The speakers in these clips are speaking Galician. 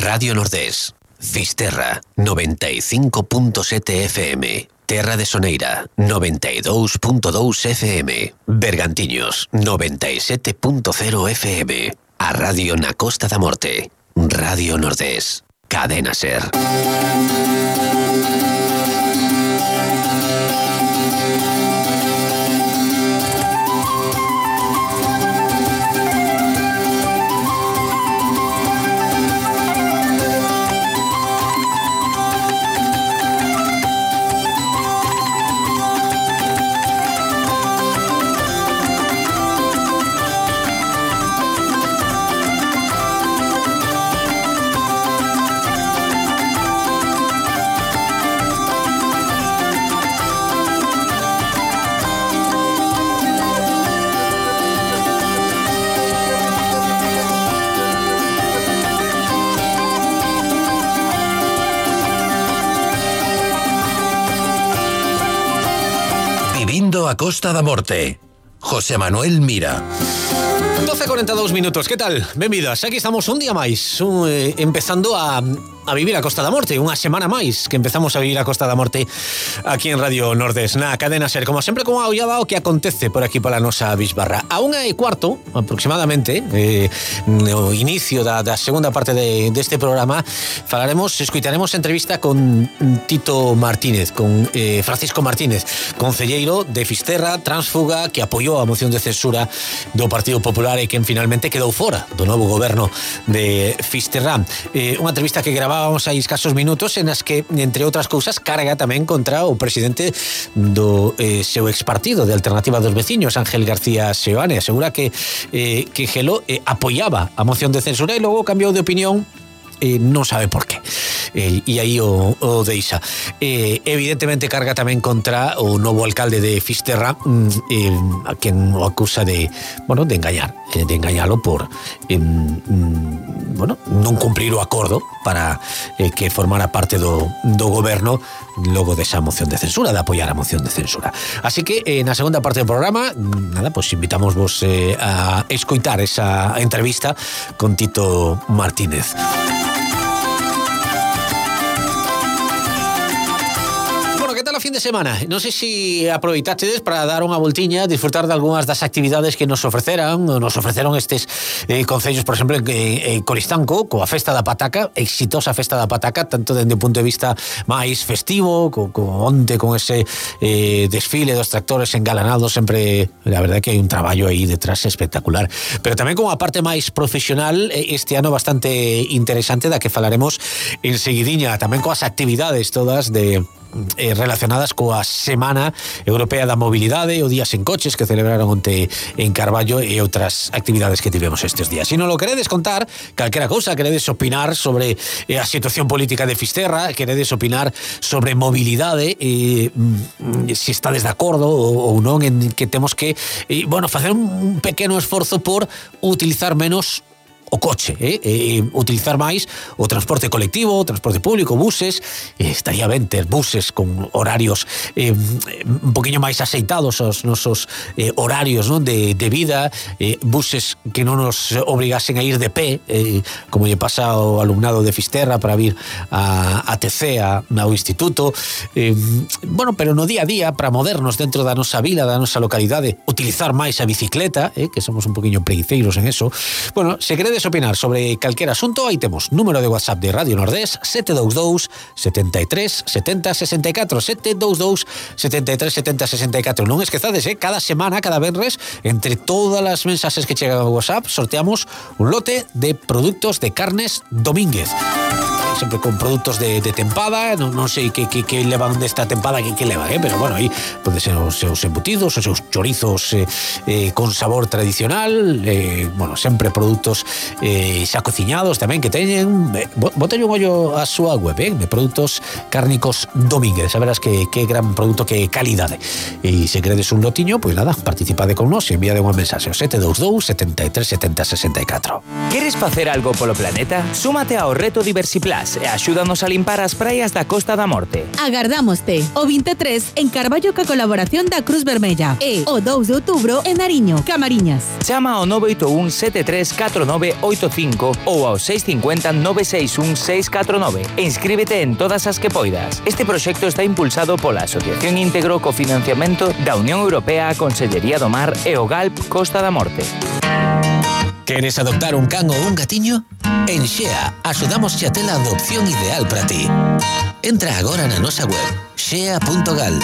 Radio Nordés, Fisterra, 95.7 FM, Terra de Soneira, 92.2 FM, Bergantiños, 97.0 FM, a Radio na Costa da Morte, Radio Nordés, Cadena Ser. A Costa da Morte, José Manuel Mira. 12:42 minutos, que tal? Benvidas, aquí estamos un día máis, empezando a vivir a Costa da Morte, unha semana máis que empezamos a vivir a Costa da Morte aquí en Radio Nordés, na Cadena Ser, como sempre, como aullada o que acontece por aquí pola nosa bisbarra. A 1:15 aproximadamente, no inicio da segunda parte deste programa, escuitaremos entrevista con Tito Martínez, con Francisco Martínez, concelleiro de Fisterra, tránsfuga, que apoiou a moción de censura do Partido Popular e quen finalmente quedou fora do novo goberno de Fisterra. Unha entrevista que gravábamos hai escasos minutos en as que, entre outras cousas, carga tamén contra o presidente do seu expartido de Alternativa dos Veciños, Ángel García Seoane. Asegura que Gelo apoiaba a moción de censura e logo cambiou de opinión, non sabe por qué. E aí o deixa. Evidentemente carga tamén contra o novo alcalde de Fisterra, a quen o acusa de engañalo por non cumplir o acordo para que formara parte do goberno logo desa moción de censura, de apoiar a moción de censura. Así que na segunda parte do programa, invitamos vos a escoitar esa entrevista con Tito Martínez. Fin de semana, non sei se aproveitachedes para dar unha voltiña, disfrutar de algunhas das actividades que nos ofreceron estes concellos, por exemplo, en Coristanco, coa Festa da Pataca, exitosa Festa da Pataca, tanto dende o punto de vista máis festivo, onte con ese desfile dos tractores engalanados, sempre, la verdade que hai un traballo aí detrás espectacular, pero tamén con a parte máis profesional, este ano bastante interesante, da que falaremos enseguidiña, tamén coas actividades todas relacionadas coa Semana Europea da Mobilidade, o Día Sen Coches que celebraron onte en Carballo e outras actividades que tivemos estes días. Se non lo queredes contar, calquera cousa, queredes opinar sobre a situación política de Fisterra, queredes opinar sobre mobilidade, se estades de acordo ou non en que temos que facer un pequeno esforzo por utilizar menos o coche, utilizar máis o transporte colectivo, o transporte público, buses, estaría ben ter buses con horarios un poquinho máis aceitados aos nosos horarios, non, de vida, buses que non nos obrigasen a ir de pé, como lle pasa ao alumnado de Fisterra para vir a TC, ao instituto, pero no día a día, para movernos dentro da nosa vila, da nosa localidade, utilizar máis a bicicleta, que somos un poquinho preguiceiros en eso. Se queredes opinar sobre calquer asunto, aí temos número de WhatsApp de Radio Nordés 722 73 70 64 722 73 70 64. Non esquezades, cada semana, cada venres, entre todas as mensaxes que chegan ao WhatsApp, sorteamos un lote de produtos de carnes Domínguez, sempre con produtos de tempada. Non sei que levan desta tempada, que levan, pero bueno, aí pode ser os seus embutidos, os seus chorizos con sabor tradicional, sempre produtos xa cociñados tamén que teñen. Bótelle un ollo a súa web, de produtos cárnicos Domínguez, a verás que gran produto, que calidade. E se queredes un lotiño, pois nada, participade con nós e envíade unha mensaxe ao 722 73 70 64. Queres facer algo polo planeta? Súmate ao reto Diversiplan. CAS e axúdanos a limpar as praias da Costa da Morte. Agardámoste o 23 en Carballo ca colaboración da Cruz Vermella e o 2 de outubro en Nariño, Camariñas. Chama ao 981 734985 ou ao 650 961 649 e inscríbete en todas as que poidas. Este proxecto está impulsado pola Asociación Íntegro co financiamento da Unión Europea, a Consellería do Mar e o GALP Costa da Morte. ¿Queres adoptar un can ou un gatiño? En Xea axudamos a ter a adopción ideal para ti. Entra agora na nosa web xea.gal.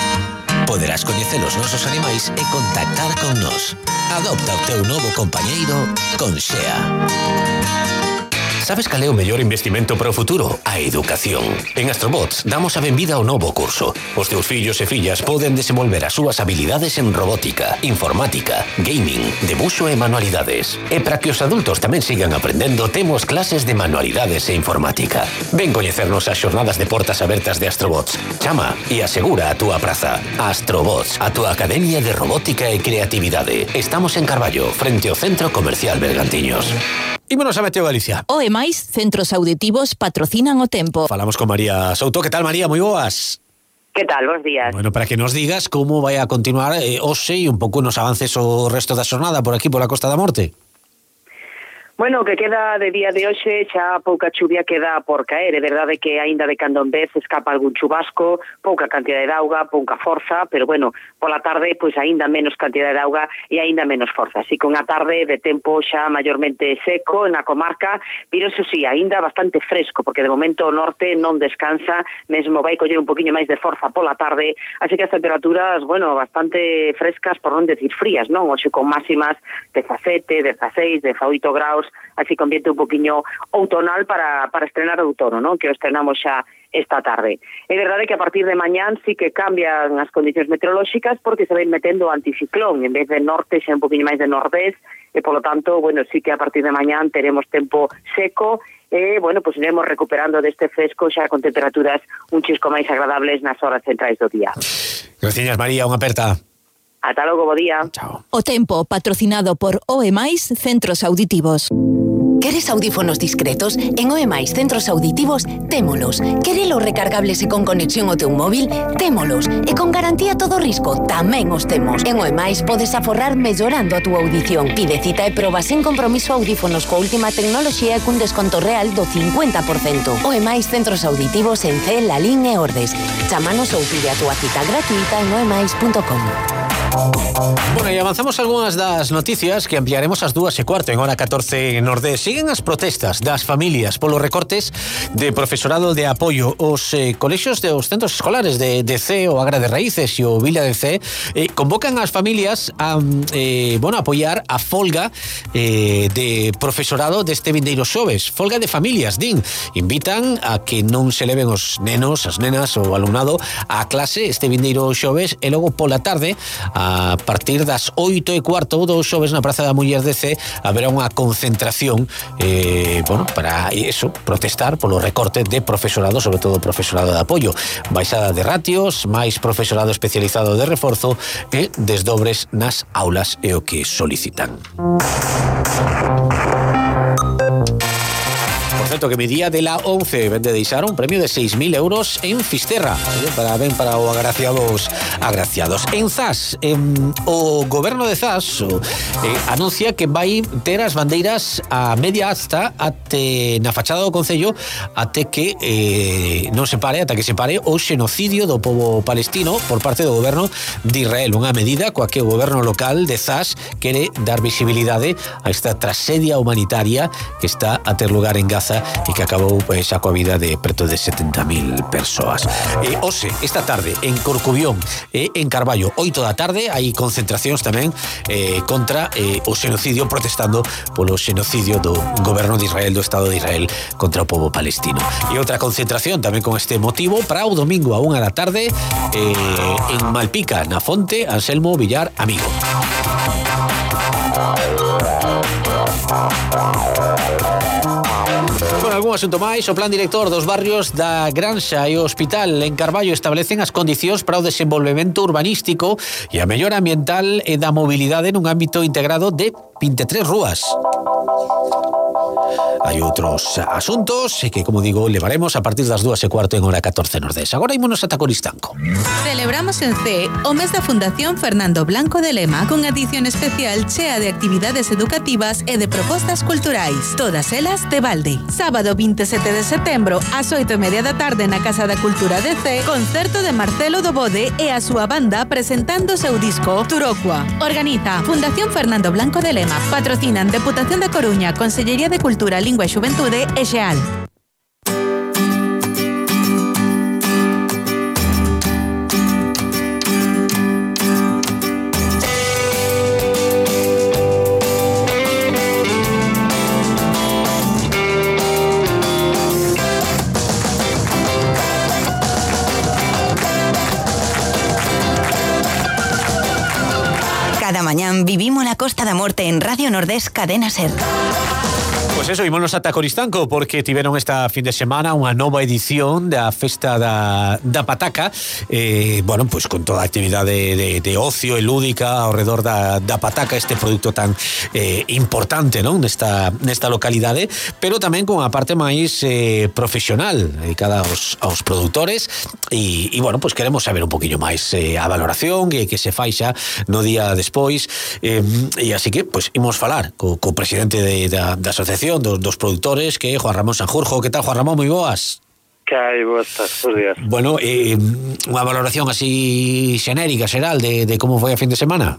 Poderás coñecer os nosos animais e contactar con nós. Adopta o teu novo compañeiro con Xea. Sabes cal é o mellor investimento para o futuro? A educación. En Astrobots damos a benvida ao novo curso. Os teus fillos e fillas poden desenvolver as súas habilidades en robótica, informática, gaming, debuxo e manualidades. E para que os adultos tamén sigan aprendendo, temos clases de manualidades e informática. Ven coñecernos as xornadas de portas abertas de Astrobots. Chama e asegura a túa praza. Astrobots, a túa academia de robótica e creatividade. Estamos en Carballo, frente ao Centro Comercial Bergantiños. Ímonos a Meteo Galicia. O e máis centros auditivos patrocinan o tempo. Falamos con María Souto. Que tal, María? Moi boas. Que tal? Bos días. Bueno, para que nos digas como vai a continuar hoxe e un pouco nos avances o resto da xornada por aquí, pola Costa da Morte. Bueno, o que queda de día de hoxe xa pouca chuvia queda por caer. É verdade que aínda de cando en vez escapa algún chubasco, pouca cantidad de auga, pouca forza, pero bueno, pola tarde pois aínda menos cantidad de auga e aínda menos forza. Así que unha tarde de tempo xa maiormente seco na comarca, pero eso sí, aínda bastante fresco, porque de momento o norte non descansa, mesmo vai coller un poquinho máis de forza pola tarde, así que as temperaturas, bueno, bastante frescas, por non decir frías, non? Hoxe con máximas 17, 16, 18 graus, así que ambiente un poquinho outonal para estrenar o outono, non? Que o estrenamos xa esta tarde. É verdade que a partir de mañán sí que cambian as condicións meteorolóxicas porque se ven metendo anticiclón, en vez de norte xa un poquinho máis de nordés, e polo tanto, bueno, sí que a partir de mañán teremos tempo seco e, bueno, pues iremos recuperando deste fresco xa con temperaturas un chisco máis agradables nas horas centrais do día. Gracias, María, unha aperta. Ata logo, bo día. Chao. O tempo patrocinado por OE+ Centros Auditivos. Queres audífonos discretos? En OE+ Centros Auditivos, témolos. Querelos recargables e con conexión ao teu móvil? Témolos. E con garantía todo risco, tamén os temos. En OE+ podes aforrar mellorando a túa audición. Pide cita e proba sen compromiso audífonos coa última tecnoloxía e cun desconto real do 50%. OE+ Centros Auditivos en C, Lalín e Ordes. Chámanos ou pide a túa cita gratuita en oemais.com. Bueno, e avanzamos algunhas das noticias que ampliaremos ás 2:15 en hora 14 en Nordés. Siguen as protestas das familias polos recortes de profesorado de apoio. Os colexios dos centros escolares de C, o Agra de Raíces e o Villa de C convocan as familias a apoiar a folga de profesorado deste vindeiro xoves. Folga de familias, din. Invitan a que non se leven os nenos, as nenas ou alumnado á clase este vindeiro xoves e logo pola tarde a partir das 8:15 do xoves na Praza da Muller de C haberá unha concentración para eso, protestar polo recorte de profesorado, sobre todo profesorado de apoio, baixada de ratios, máis profesorado especializado de reforzo e desdobres nas aulas é o que solicitan. Por certo, que mi día de la 11 vende deixar un premio de 6.000 euros en Fisterra, para os agraciados. En Zas, o goberno de Zas anuncia que vai ter as bandeiras a media asta até na fachada do concello até que ata que se pare o xenocidio do pobo palestino por parte do goberno de Israel, unha medida coa que o goberno local de Zas quere dar visibilidade a esta tragedia humanitaria que está a ter lugar en Gaza e que acabou xa coa vida de preto de 70.000 persoas. Hoxe, esta tarde, en Corcubión e en Carballo, 8 da tarde, hai concentracións tamén contra o xenocidio, protestando polo xenocidio do goberno de Israel, do Estado de Israel, contra o pobo palestino. E outra concentración tamén con este motivo para o domingo a 1 da tarde en Malpica, na Fonte Anselmo Villar Amigo. Con algún asunto máis, o plan director dos barrios da Granxa e o Hospital en Carballo establecen as condicións para o desenvolvemento urbanístico e a mellora ambiental e da mobilidade nun ámbito integrado de 23 rúas. hai outros asuntos que, como digo, levaremos a partir das 2:15 en hora 14 Nordés. Agora ímonos ata Coristanco. Celebramos en C o mes da Fundación Fernando Blanco de Lema con edición especial chea de actividades educativas e de propostas culturais, todas elas de balde. Sábado 27 de setembro ás 8:30 da tarde na Casa da Cultura de C, concerto de Marcelo Dobode e a súa banda presentando o seu disco Turocua. Organiza Fundación Fernando Blanco de Lema. Patrocinan Deputación da Coruña, Consellería de Cultura, Lingua e Xuventude e Xeal. Cada mañán vivimos la Costa da Morte en Radio Nordés Cadena Ser. Pois eso, ímonos ata Coristanco porque tiveron esta fin de semana unha nova edición da Festa da Pataca, bueno, pois con toda a actividade de ocio e lúdica ao redor da pataca, este produto tan importante, non, nesta localidade, pero tamén con a parte máis profesional dedicada aos produtores e bueno, pois queremos saber un poquinho máis a valoración que se fai xa no día despois, e así que, pois, imos falar co presidente da asociación dos produtores, que é Juan Ramón Sanjurjo. Que tal, Juan Ramón? Moi boas. Que hai, boas días. Bueno, unha valoración así xenérica, xeral, de como foi a fin de semana.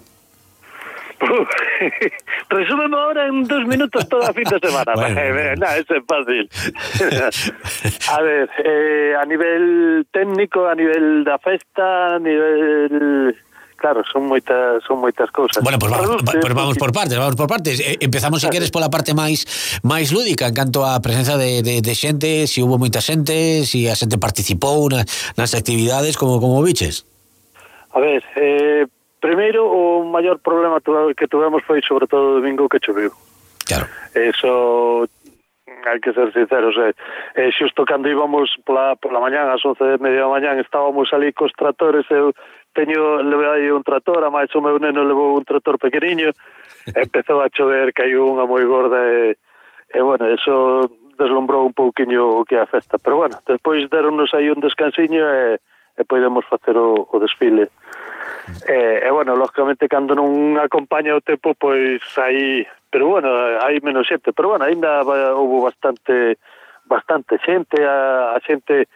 Resúmeme ahora en 2 minutos toda a fin de semana. Bueno. Eso é fácil. A ver, a nivel técnico, a nivel da festa, a nivel... Claro, son moitas cousas. Bueno, pues vamos por partes. Empezamos, se queres, pola parte máis lúdica, en canto á presenza de xente, se hubo moita xente, se a xente participou nas actividades, como viches? A ver, primeiro, o maior problema que tuvemos foi sobre todo o domingo que choveu. Claro. Eso... hai que ser sinceros, xusto cando íbamos pola mañán, ás 11:30 da mañán, estábamos ali cos tratores, eu levei un trator, a máis o meu neno levou un trator pequeniño, empezou a chover, caiu unha moi gorda e bueno, eso deslumbrou un pouquiño o que é a festa, pero bueno, despois deronnos aí un descansiño e podemos facer o desfile. E bueno, lógicamente cando non acompaña o tempo, pois aí, pero bueno, hai menos xente, pero bueno, ainda houve bastante xente, a xente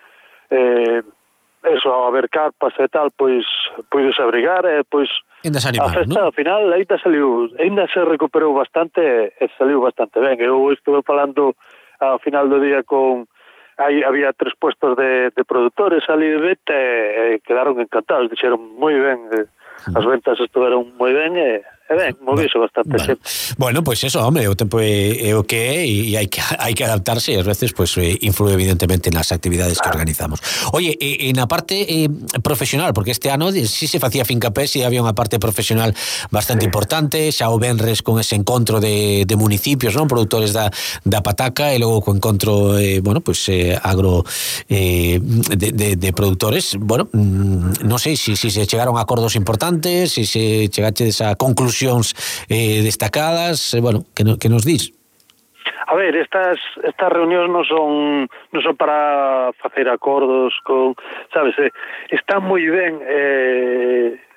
eso, a ver carpas e tal, pois puides abrigar e pois a festa, ¿no? Ao final ainda se recuperou bastante e saliu bastante ben. Eu estuve falando ao final do día había 3 puestos de produtores ali de venta e quedaron encantados, dixeron moi ben, as ventas estuveron moi ben e ben, moviso bastante xente. Bueno, pois eso, hombre, o tempo é o que é e hai que adaptarse e ás veces pois influe evidentemente nas actividades que organizamos. Oye, na parte profesional, porque este ano si se facía fincapé, si había unha parte profesional bastante importante, xa o venres con ese encontro de municipios, non, produtores da pataca, e logo co encontro bueno, pois agro de produtores. Bueno, non sei se se chegaron a acordos importantes, se se chegaches a conclusións destacadas, bueno, que nos dís? A ver, estas reunións non son para facer acordos con, sabes, está moi ben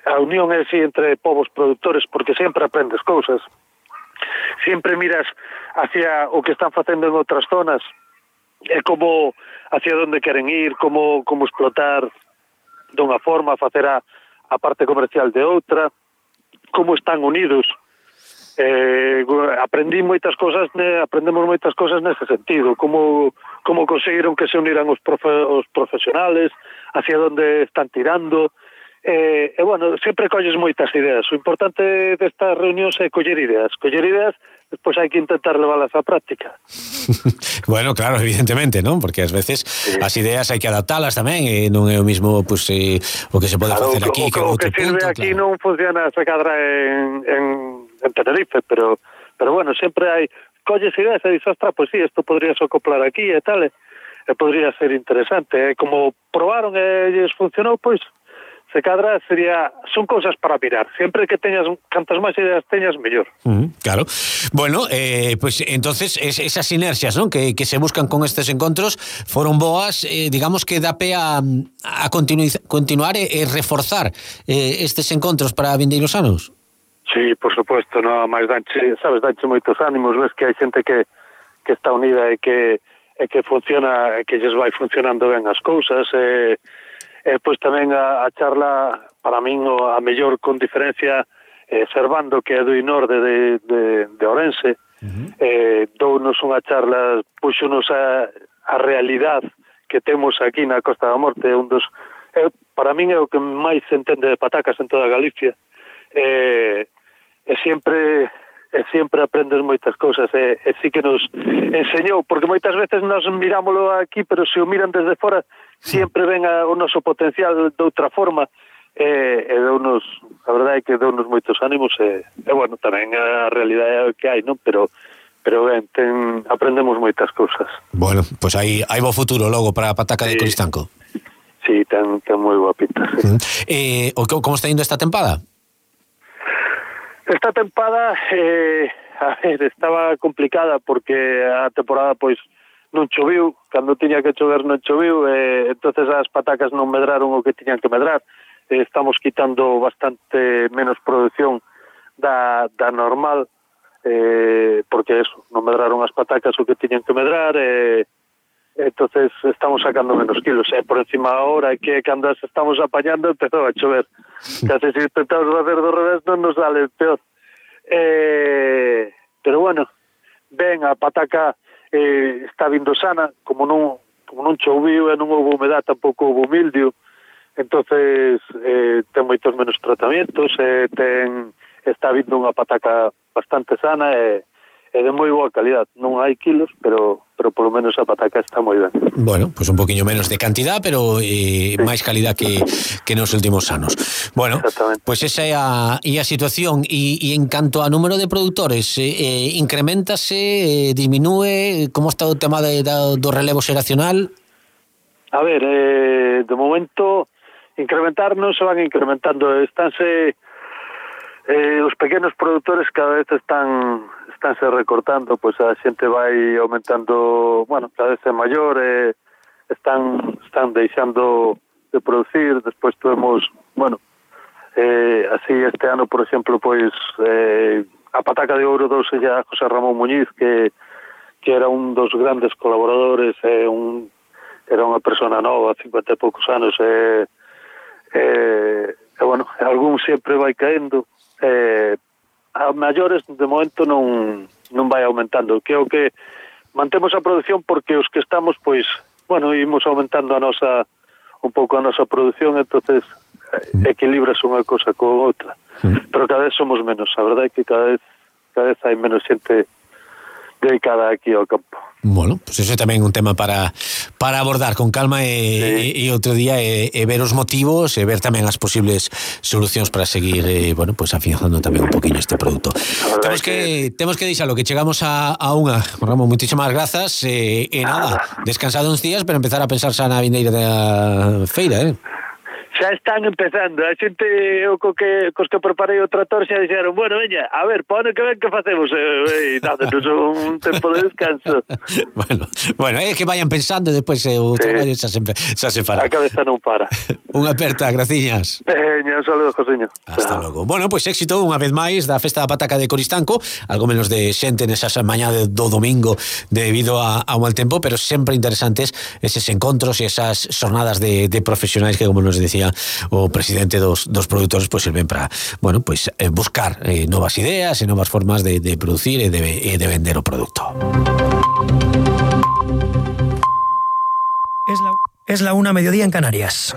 a unión así entre povos produtores, porque sempre aprendes cousas, sempre miras hacia o que están facendo en outras zonas e como hacia onde queren ir, como explotar dunha forma, facer a parte comercial de outra, como están unidos. Aprendemos moitas cousas nese sentido, como conseguiron que se uniran os profesionales, hacia onde están tirando, e bueno, sempre colles moitas ideas. O importante destas reunións é coller ideas, despois hai que intentar leválas á práctica. Bueno, claro, evidentemente, non? Porque ás veces as ideas hai que adaptalas tamén, e non é o mismo pues, o que se pode facer aquí que outro punto. O que sirve aquí non funciona esa cadra en Tenerife, pero bueno, sempre hai colles ideas e dices, ostras, pues sí, isto podría acoplar aquí e tal, e podría ser interesante. Como probaron e lles funcionou, pois se cadra son cousas para mirar. Sempre que teñas, cantas máis ideas teñas, mellor. Claro. Bueno, pues entonces esas sinerxias, ¿no?, que se buscan con estes encontros foron boas, digamos que dá pé a continuar e reforzar estes encontros para vindeiros anos. Sí, por supuesto, no, máis danche moitos ánimos, ves que hai xente que está unida e que funciona, que lles vai funcionando ben as cousas, pois tamén a charla, para min, a mellor con diferencia, Servando, que é do Inorde de Ourense, dounos unha charla, puxonos a realidade que temos aquí na Costa da Morte, para min é o que máis se entende de patacas en toda Galicia, e sempre aprendes moitas cousas, e sí que nos enseñou, porque moitas veces nos mirámoslo aquí, pero se o miran desde fora sempre ven o noso potencial de outra forma, e deunos, a verdade é que deunos moitos ánimos, e bueno, tamén a realidade é o que hai, non? Pero ben, aprendemos moitas cousas. Bueno, pois hai bo futuro logo para a pataca de Coristanco. Sí, ten moi boa pinta, sí. Como está indo esta tempada? Esta tempada, a ver, estaba complicada porque a temporada, pois, non choviu, cando tiña que chover non choviu, entonces as patacas non medraron o que tiñan que medrar, estamos quitando bastante menos producción da normal, porque eso, non medraron as patacas o que tiñan que medrar, entonces estamos sacando menos kilos, por encima ahora que cando as estamos apañando empezou a chover, case se intentamos facer do revés non nos sale peor, pero bueno, ben, a pataca está vindo sana, como non choviu e non houve humedad, tampouco houve mildio, entonces ten moitos menos tratamientos, está vindo unha pataca bastante sana e de moi boa calidad. Non hai kilos, pero polo menos a pataca está moi ben. Bueno, pues un poquinho menos de cantidad, pero máis calidad que nos últimos anos. Bueno, pues esa é a situación. E en canto a número de produtores, incrementase, diminúe, como está o tema do relevo xeracional? A ver, de momento incrementar non se van incrementando, estánse os pequenos produtores cada vez estánse recortando, pois a xente vai aumentando, bueno, cada vez é maior, están deixando de producir, despois tuvemos, bueno, así este ano, por exemplo, pois a pataca de ouro douse a José Ramón Muñiz, que era un dos grandes colaboradores, era unha persona nova, 50 e poucos anos, bueno, algún sempre vai caendo, a maiores de momento non vai aumentando, que é o que mantemos a produción, porque os que estamos, pois, bueno, imos aumentando un pouco a nosa produción, entonces equilibras unha cosa con outra, pero cada vez somos menos, a verdade é que cada vez hai menos xente dedicada aquí ao campo. Bueno, pues eso é tamén un tema para abordar con calma e outro día e ver os motivos e ver tamén as posibles solucións para seguir, bueno, pues afianzando tamén un poquinho este produto. Temos que deixalo, que chegamos a unha. Ramón, moitísimas grazas e nada, descansado uns días para empezar a pensar xa na vindeira da feira, Xa están empezando, a xente cos que preparei o trator xa dixeron, bueno, veña, a ver, pa ano que ven que facemos, nada, non son un tempo de descanso. Bueno, é que vayan pensando e despois o traballo xa se fará. A cabeza non para. Unha aperta, graciñas. Un saludo, Josiño. Hasta logo. Bueno, pois éxito unha vez máis da Festa da Pataca de Coristanco, algo menos de xente nesas mañá do domingo debido ao mal tempo, pero sempre interesantes eses encontros e esas xornadas de profesionais que, como nos decía o presidente dos produtores, pois sirven para, bueno, pois buscar novas ideas e novas formas de producir e de vender o produto. Es la 1:00 en Canarias.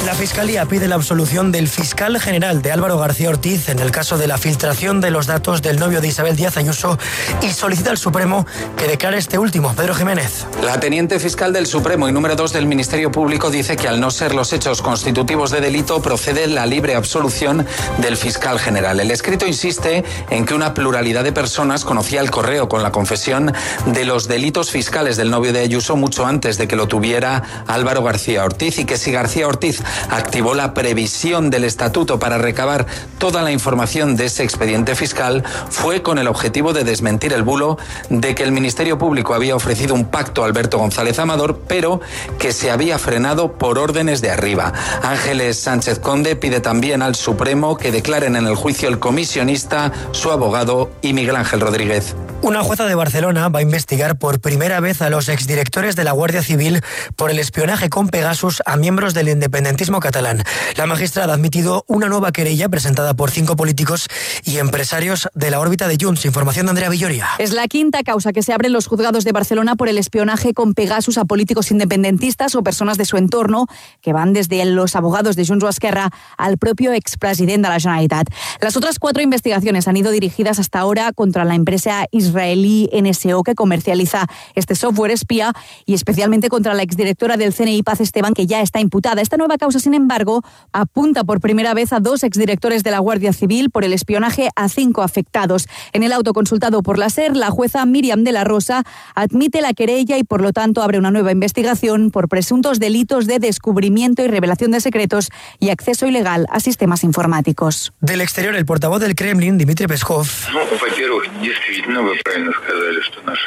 La Fiscalía pide la absolución del fiscal general de Álvaro García Ortiz en el caso de la filtración de los datos del novio de Isabel Díaz Ayuso y solicita al Supremo que declare este último. Pedro Jiménez. La teniente fiscal del Supremo y número 2 del Ministerio Público dice que al no ser los hechos constitutivos de delito procede la libre absolución del fiscal general. El escrito insiste en que una pluralidad de personas conocía el correo con la confesión de los delitos fiscales del novio de Ayuso mucho antes de que lo tuviera Álvaro García Ortiz, y que si García Ortiz activó la previsión del estatuto para recabar toda la información de ese expediente fiscal fue con el objetivo de desmentir el bulo de que el Ministerio Público había ofrecido un pacto a Alberto González Amador, pero que se había frenado por órdenes de arriba. Ángeles Sánchez Conde pide también al Supremo que declaren en el juicio el comisionista, su abogado y Miguel Ángel Rodríguez. Una jueza de Barcelona va a investigar por primera vez a los exdirectores de la Guardia Civil por el espionaje con Pegasus a miembros del independentismo catalán. La magistrada ha admitido una nueva querella presentada por 5 políticos y empresarios de la órbita de Junts. Información de Andrea Villoria. Es la quinta causa que se abre en los juzgados de Barcelona por el espionaje con Pegasus a políticos independentistas o personas de su entorno, que van desde los abogados de Junts o Esquerra al propio expresidente de la Generalitat. Las otras 4 investigaciones han ido dirigidas hasta ahora contra la empresa israelí NSO, que comercializa este software espía, y especialmente contra la exdirectora del CNI, Paz Esteban, que ya está imputada. Esta nueva causa, sin embargo, apunta por primera vez a 2 exdirectores de la Guardia Civil por el espionaje a 5 afectados. En el auto consultado por la SER, la jueza Míriam de la Rosa admite la querella y, por lo tanto, abre una nueva investigación por presuntos delitos de descubrimiento y revelación de secretos y acceso ilegal a sistemas informáticos. Del exterior, el portavoz del Kremlin, Dmitry Peskov,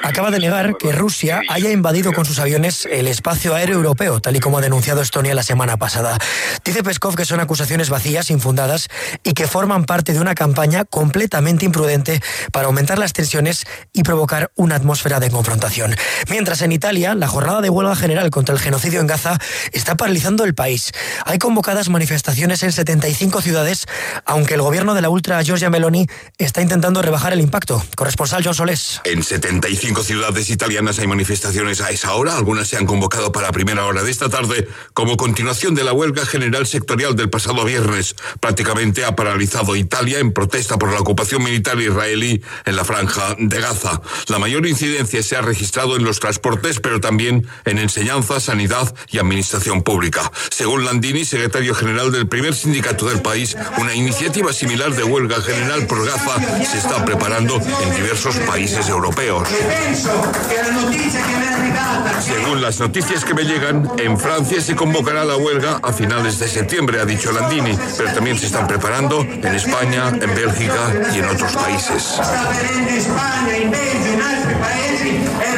acaba de negar que Rusia haya invadido con sus aviones el espacio aéreo europeo, tal y como ha denunciado Estonia la semana pasada. Dice Peskov que son acusaciones vacías, infundadas, y que forman parte de una campaña completamente imprudente para aumentar las tensiones y provocar una atmósfera de confrontación. Mientras, en Italia, la jornada de huelga general contra el genocidio en Gaza está paralizando el país. Hay convocadas manifestaciones en 75 ciudades, aunque el gobierno de la ultra Giorgia Meloni está intentando rebajar el impacto. Corresponsal John Solés. En 75 ciudades italianas hay manifestaciones a esa hora. Algunas se han convocado para primera hora de esta tarde como continuación de la huelga general sectorial del pasado viernes. Prácticamente ha paralizado Italia en protesta por la ocupación militar israelí en la franja de Gaza. La mayor incidencia se ha registrado en los transportes, pero también en enseñanza, sanidad y administración pública. Según Landini, secretario general del primer sindicato del país, una iniciativa similar de huelga general por Gaza se está preparando en diversos países europeos. Según las noticias que me llegan, en Francia se convocará la huelga a finales de septiembre, ha dicho Landini, pero también se están preparando en España, en Bélgica y en otros países.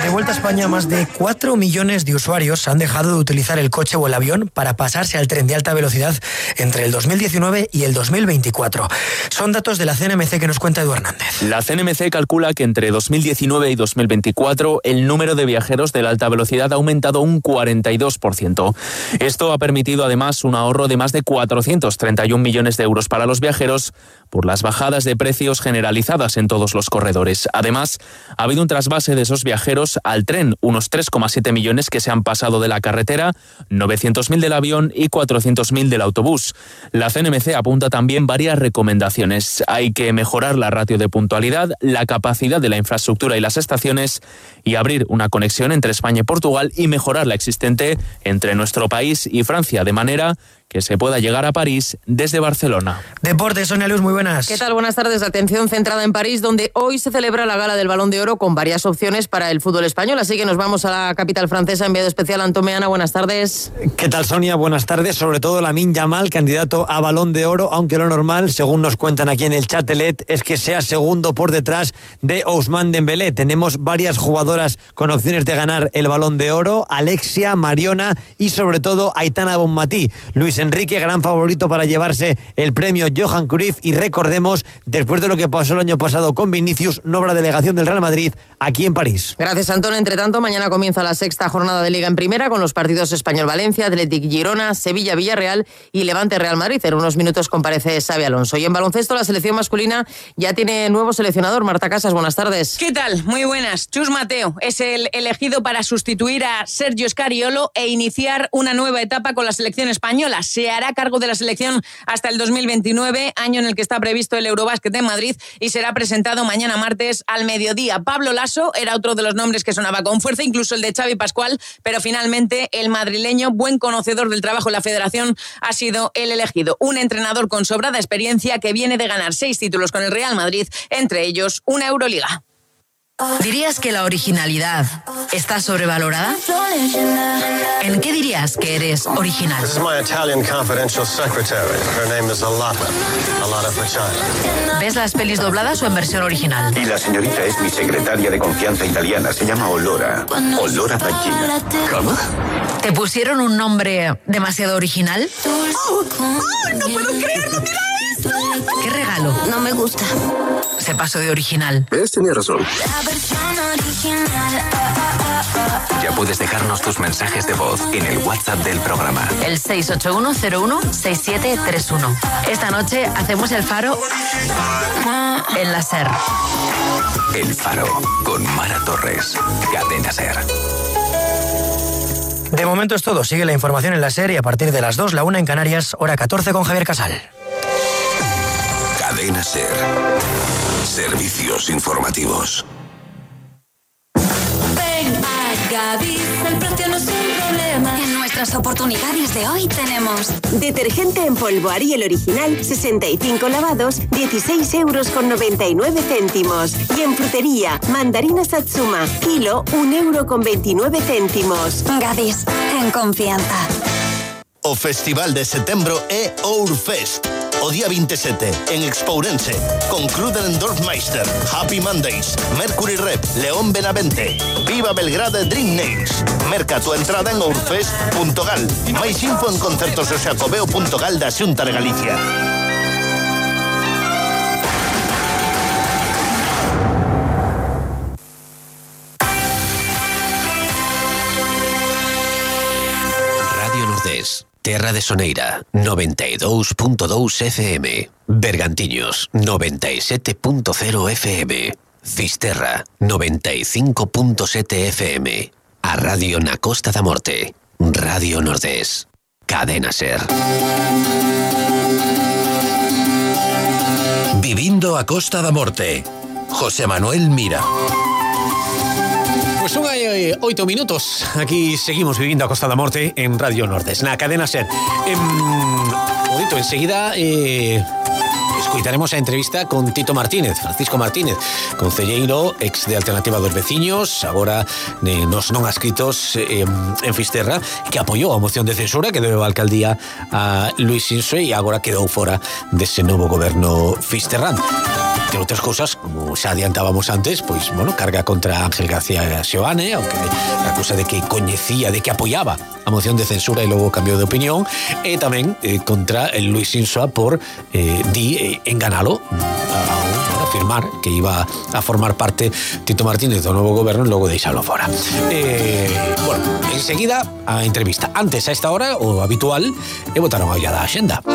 De vuelta a España, más de 4 millones de usuarios han dejado de utilizar el coche o el avión para pasarse al tren de alta velocidad entre el 2019 y el 2024. Son datos de la CNMC que nos cuenta Edu Hernández. La CNMC calcula que entre 2019 y 2024 el número de viajeros de la alta velocidad ha aumentado un 42%. Esto ha permitido además un ahorro de más de 431 millones de euros para los viajeros por las bajadas de precios generalizadas en todos los corredores. Además, ha habido un trasvase de esos viajeros al tren, unos 3,7 millones que se han pasado de la carretera, 900.000 del avión y 400.000 del autobús. La CNMC apunta también varias recomendaciones. Hay que mejorar la ratio de puntualidad, la capacidad de la infraestructura y las estaciones, y abrir una conexión entre España y Portugal y mejorar la existente entre nuestro país y Francia, de manera que se pueda llegar a París desde Barcelona. Deportes, Sonia Luz, muy buenas. ¿Qué tal? Buenas tardes. Atención centrada en París, donde hoy se celebra la gala del Balón de Oro con varias opciones para el fútbol español. Así que nos vamos a la capital francesa. Enviado especial Antón Meana, buenas tardes. ¿Qué tal, Sonia? Buenas tardes. Sobre todo Lamine Yamal, candidato a Balón de Oro, aunque lo normal, según nos cuentan aquí en el Châtelet, es que sea segundo por detrás de Ousmane Dembélé. Tenemos varias jugadoras con opciones de ganar el Balón de Oro: Alexia, Mariona y sobre todo Aitana Bonmatí. Luis Enrique, gran favorito para llevarse el premio Johan Cruyff, y recordemos, después de lo que pasó el año pasado con Vinicius, nueva delegación del Real Madrid aquí en París. Gracias, Antón. Entre tanto, mañana comienza la sexta jornada de Liga en Primera con los partidos Español-Valencia, Athletic-Girona, Sevilla-Villarreal y Levante-Real Madrid. En unos minutos comparece Xabi Alonso. Y en baloncesto, la selección masculina ya tiene nuevo seleccionador. Marta Casas, buenas tardes. ¿Qué tal? Muy buenas. Chus Mateo es el elegido para sustituir a Sergio Scariolo e iniciar una nueva etapa con la selección española. Liga. Se hará cargo de la selección hasta el 2029, año en el que está previsto el Eurobásquet en Madrid, y será presentado mañana martes al mediodía. Pablo Laso era otro de los nombres que sonaba con fuerza, incluso el de Xavi Pascual, pero finalmente el madrileño, buen conocedor del trabajo en la federación, ha sido el elegido. Un entrenador con sobrada experiencia que viene de ganar 6 títulos con el Real Madrid, entre ellos una Euroliga. ¿Dirías que la originalidad está sobrevalorada? ¿En qué dirías que eres original? This is my Italian confidential secretary. Her name is Alata Pachina. ¿Ves las pelis dobladas o en versión original? Y la señorita es mi secretaria de confianza italiana. Se llama Olora Pachina. ¿Cómo? ¿Te pusieron un nombre demasiado original? ¡No puedo creerlo! ¡Mira esto! ¿Qué regalo? No me gusta. Se pasó de original. ¿Ves? Tenía razón. Ya puedes dejarnos tus mensajes de voz en el WhatsApp del programa. El 681016731. Esta noche hacemos el Faro en la SER. El Faro con Mara Torres. Cadena SER. De momento es todo. Sigue la información en la SER y a partir de las 2, la 1 en Canarias, hora 14 con Javier Casal. Cadena SER. Servicios informativos. Ven a Gadis, el precio no es un problema. En nuestras oportunidades de hoy tenemos detergente en polvo Ariel original, 65 lavados, 16,99 €. Y en frutería, mandarina Satsuma, kilo, 1,29 €. Gadis, en confianza. O Festival de Setembro é Ourfest. O día 27, en Expourense, con Cruden Dorfmeister, Happy Mondays, Mercury Rep, León Benavente, Viva Belgrade Dream Nails. Merca tu entrada en ourfest.gal. Máis info en concertososacobeo.gal da Xunta de Galicia. Radio Nordés. Terra de Soneira, 92.2 FM. Bergantiños, 97.0 FM. Fisterra, 95.7 FM. A Radio na Costa da Morte. Radio Nordés. Cadena SER. Vivindo a Costa da Morte. José Manuel Mira. Pues son 8 minutos. Aquí seguimos viviendo a Costa da Morte en Radio Nordés, na cadena SER. Enseguida escuitaremos a entrevista con Tito Martínez, Francisco Martínez, concelleiro, ex de Alternativa dos Veciños, agora nos non adscritos en Fisterra, que apoyou a moción de censura que deu a alcaldía a Luis Sinso e agora quedou fora dese novo goberno fisterrán. Entre outras cousas, como xa adiantábamos antes, pois, bueno, carga contra Ángel García Seoane, aunque acusa de que coñecía, de que apoyaba a moción de censura e logo cambiou de opinión, e tamén contra el Luis Sinsoa por enganalo a afirmar que iba a formar parte Tito Martínez do novo goberno e logo deixalo fora. Bueno, enseguida a entrevista. Antes, a esta hora, o habitual, e botaron a olla da axenda.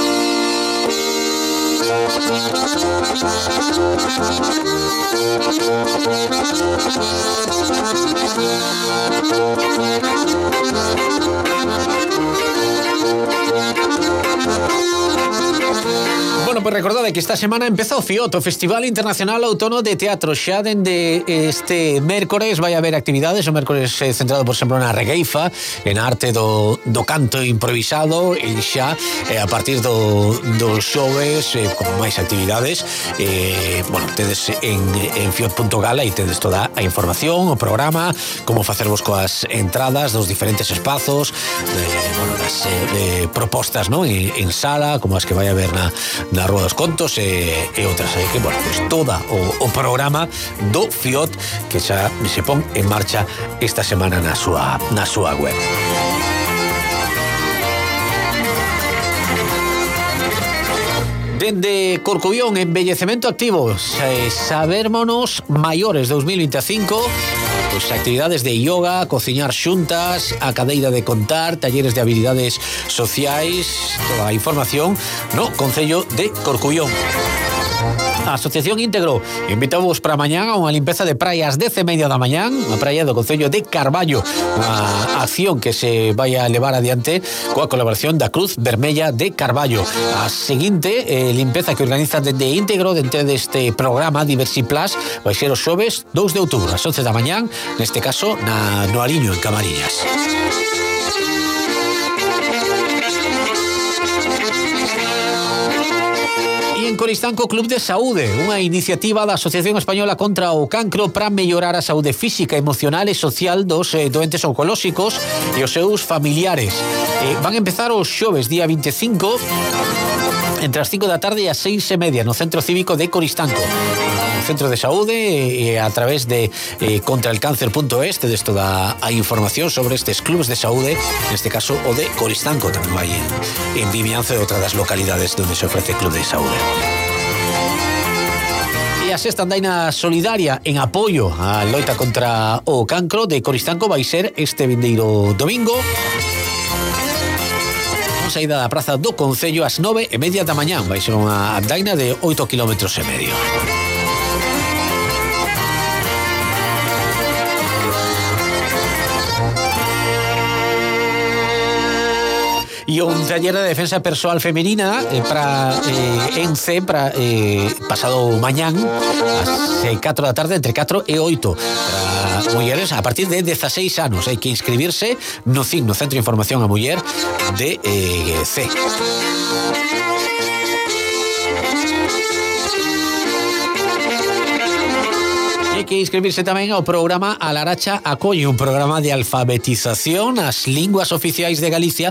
Bueno, pues recordad que esta semana empezou FIOT, o Festival Internacional Outono de Teatro. Xa dende este mércores vai haber actividades, o mércores centrado, por exemplo, na regueifa, en arte do canto improvisado, e xa a partir dos xoves con máis actividades. Bueno, tedes en fiot.gal e tedes toda a información, o programa, como facervos coas entradas dos diferentes espazos, as propostas, ¿no? en sala, como as que vai haber na Rúa dos Contos e outras. Que, bueno, pues toda o programa do FIOT que xa se pon en marcha esta semana na súa web. Dende Corcubión, embellecemento activo, Sabérmonos Maiores 2025, pues actividades de yoga, cociñar xuntas, a cadeira de contar, talleres de habilidades sociais, toda a información no Concello de Corcubión. A Asociación Íntegro invitamos para mañán a unha limpeza de praia ás 10:30 da mañán, a praia do Concello de Carballo, unha acción que se vai a levar adiante coa colaboración da Cruz Vermella de Carballo. A seguinte limpeza que organiza dende Íntegro dentro deste programa Diversi Plus vai ser os xoves 2 de outubro ás 11 da mañán, neste caso no Ariño, en Camariñas. En Coristanco Club de Saúde, unha iniciativa da Asociación Española contra o Cancro para mellorar a saúde física, emocional e social dos doentes oncolóxicos e os seus familiares. Van empezar os xoves, día 25, entre as 5 da tarde e as 6:30 no Centro Cívico de Coristanco. No Centro de Saúde e a través de contraelcáncer.es tedes toda a información sobre estes clubs de saúde, neste caso o de Coristanco, tamén vai en Vimianzo e outra das localidades onde se ofrece club de saúde. E a sexta andaina solidaria en apoio á loita contra o cancro de Coristanco vai ser este vindeiro domingo, con saída da praza do Concello ás 9:30 da mañán. Vai ser unha andaina de 8,5 km. E un taller de defensa persoal femenina para ENCE para pasado mañán ás 4 da tarde, entre 4 e 8 para mulleres a partir de 16 anos. Hai que inscribirse no CIN, no Centro de Información a Muller de C. Hai que inscribirse tamén ao programa A Laracha Acolle, un programa de alfabetización ás linguas oficiais de Galicia,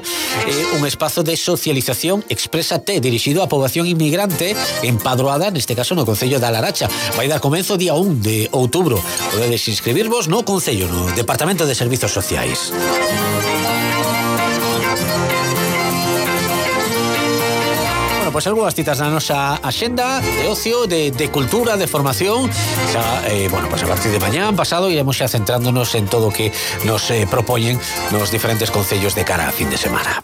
un espazo de socialización Exprésate, dirixido á poboación inmigrante empadroada, neste caso no Concello da Laracha. Vai dar comenzo día 1 de outubro. Podedes inscribirvos no Concello, no Departamento de Servizos Sociais. Pois algunhas citas na nosa axenda de ocio, de cultura, de formación. Xa, pois a partir de mañán pasado iremos xa centrándonos en todo o que nos propoñen nos diferentes concellos de cara a fin de semana.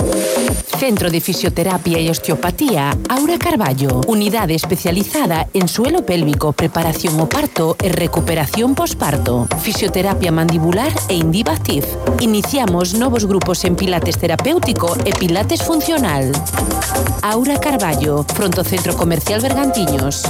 Centro de Fisioterapia y Osteopatía Aura Carballo. Unidade especializada en suelo pélvico, preparación o parto e recuperación posparto. Fisioterapia mandibular e Indivactiv. Iniciamos novos grupos en pilates terapéutico e pilates funcional. Aura Carballo, fronto Centro Comercial Bergantiños.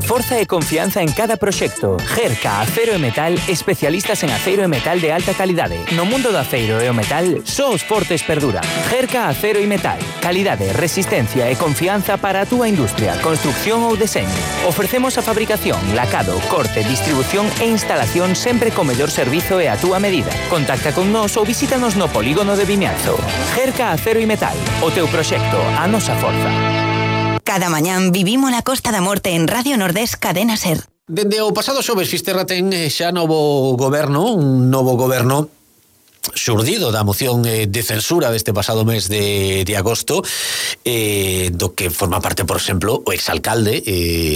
Forza e confianza en cada proxecto. Gerca Acero e Metal, especialistas en aceiro e metal de alta calidade. No mundo do aceiro e o metal, só os fortes perduran. Gerca Acero e Metal. Calidade, resistencia e confianza para a túa industria, construcción ou deseño. Ofrecemos a fabricación, lacado, corte, distribución e instalación sempre co mellor servizo e a túa medida. Contacta con nós ou visítanos no polígono de Vimianzo. Gerca Acero e Metal. O teu proxecto, a nosa forza. Cada mañán vivimos la Costa da Morte en Radio Nordés Cadena Ser. Dende o pasado xoves Fisterra ten xa novo goberno, un novo goberno xurdido da moción de censura deste pasado mes de agosto, do que forma parte, por exemplo, o exalcalde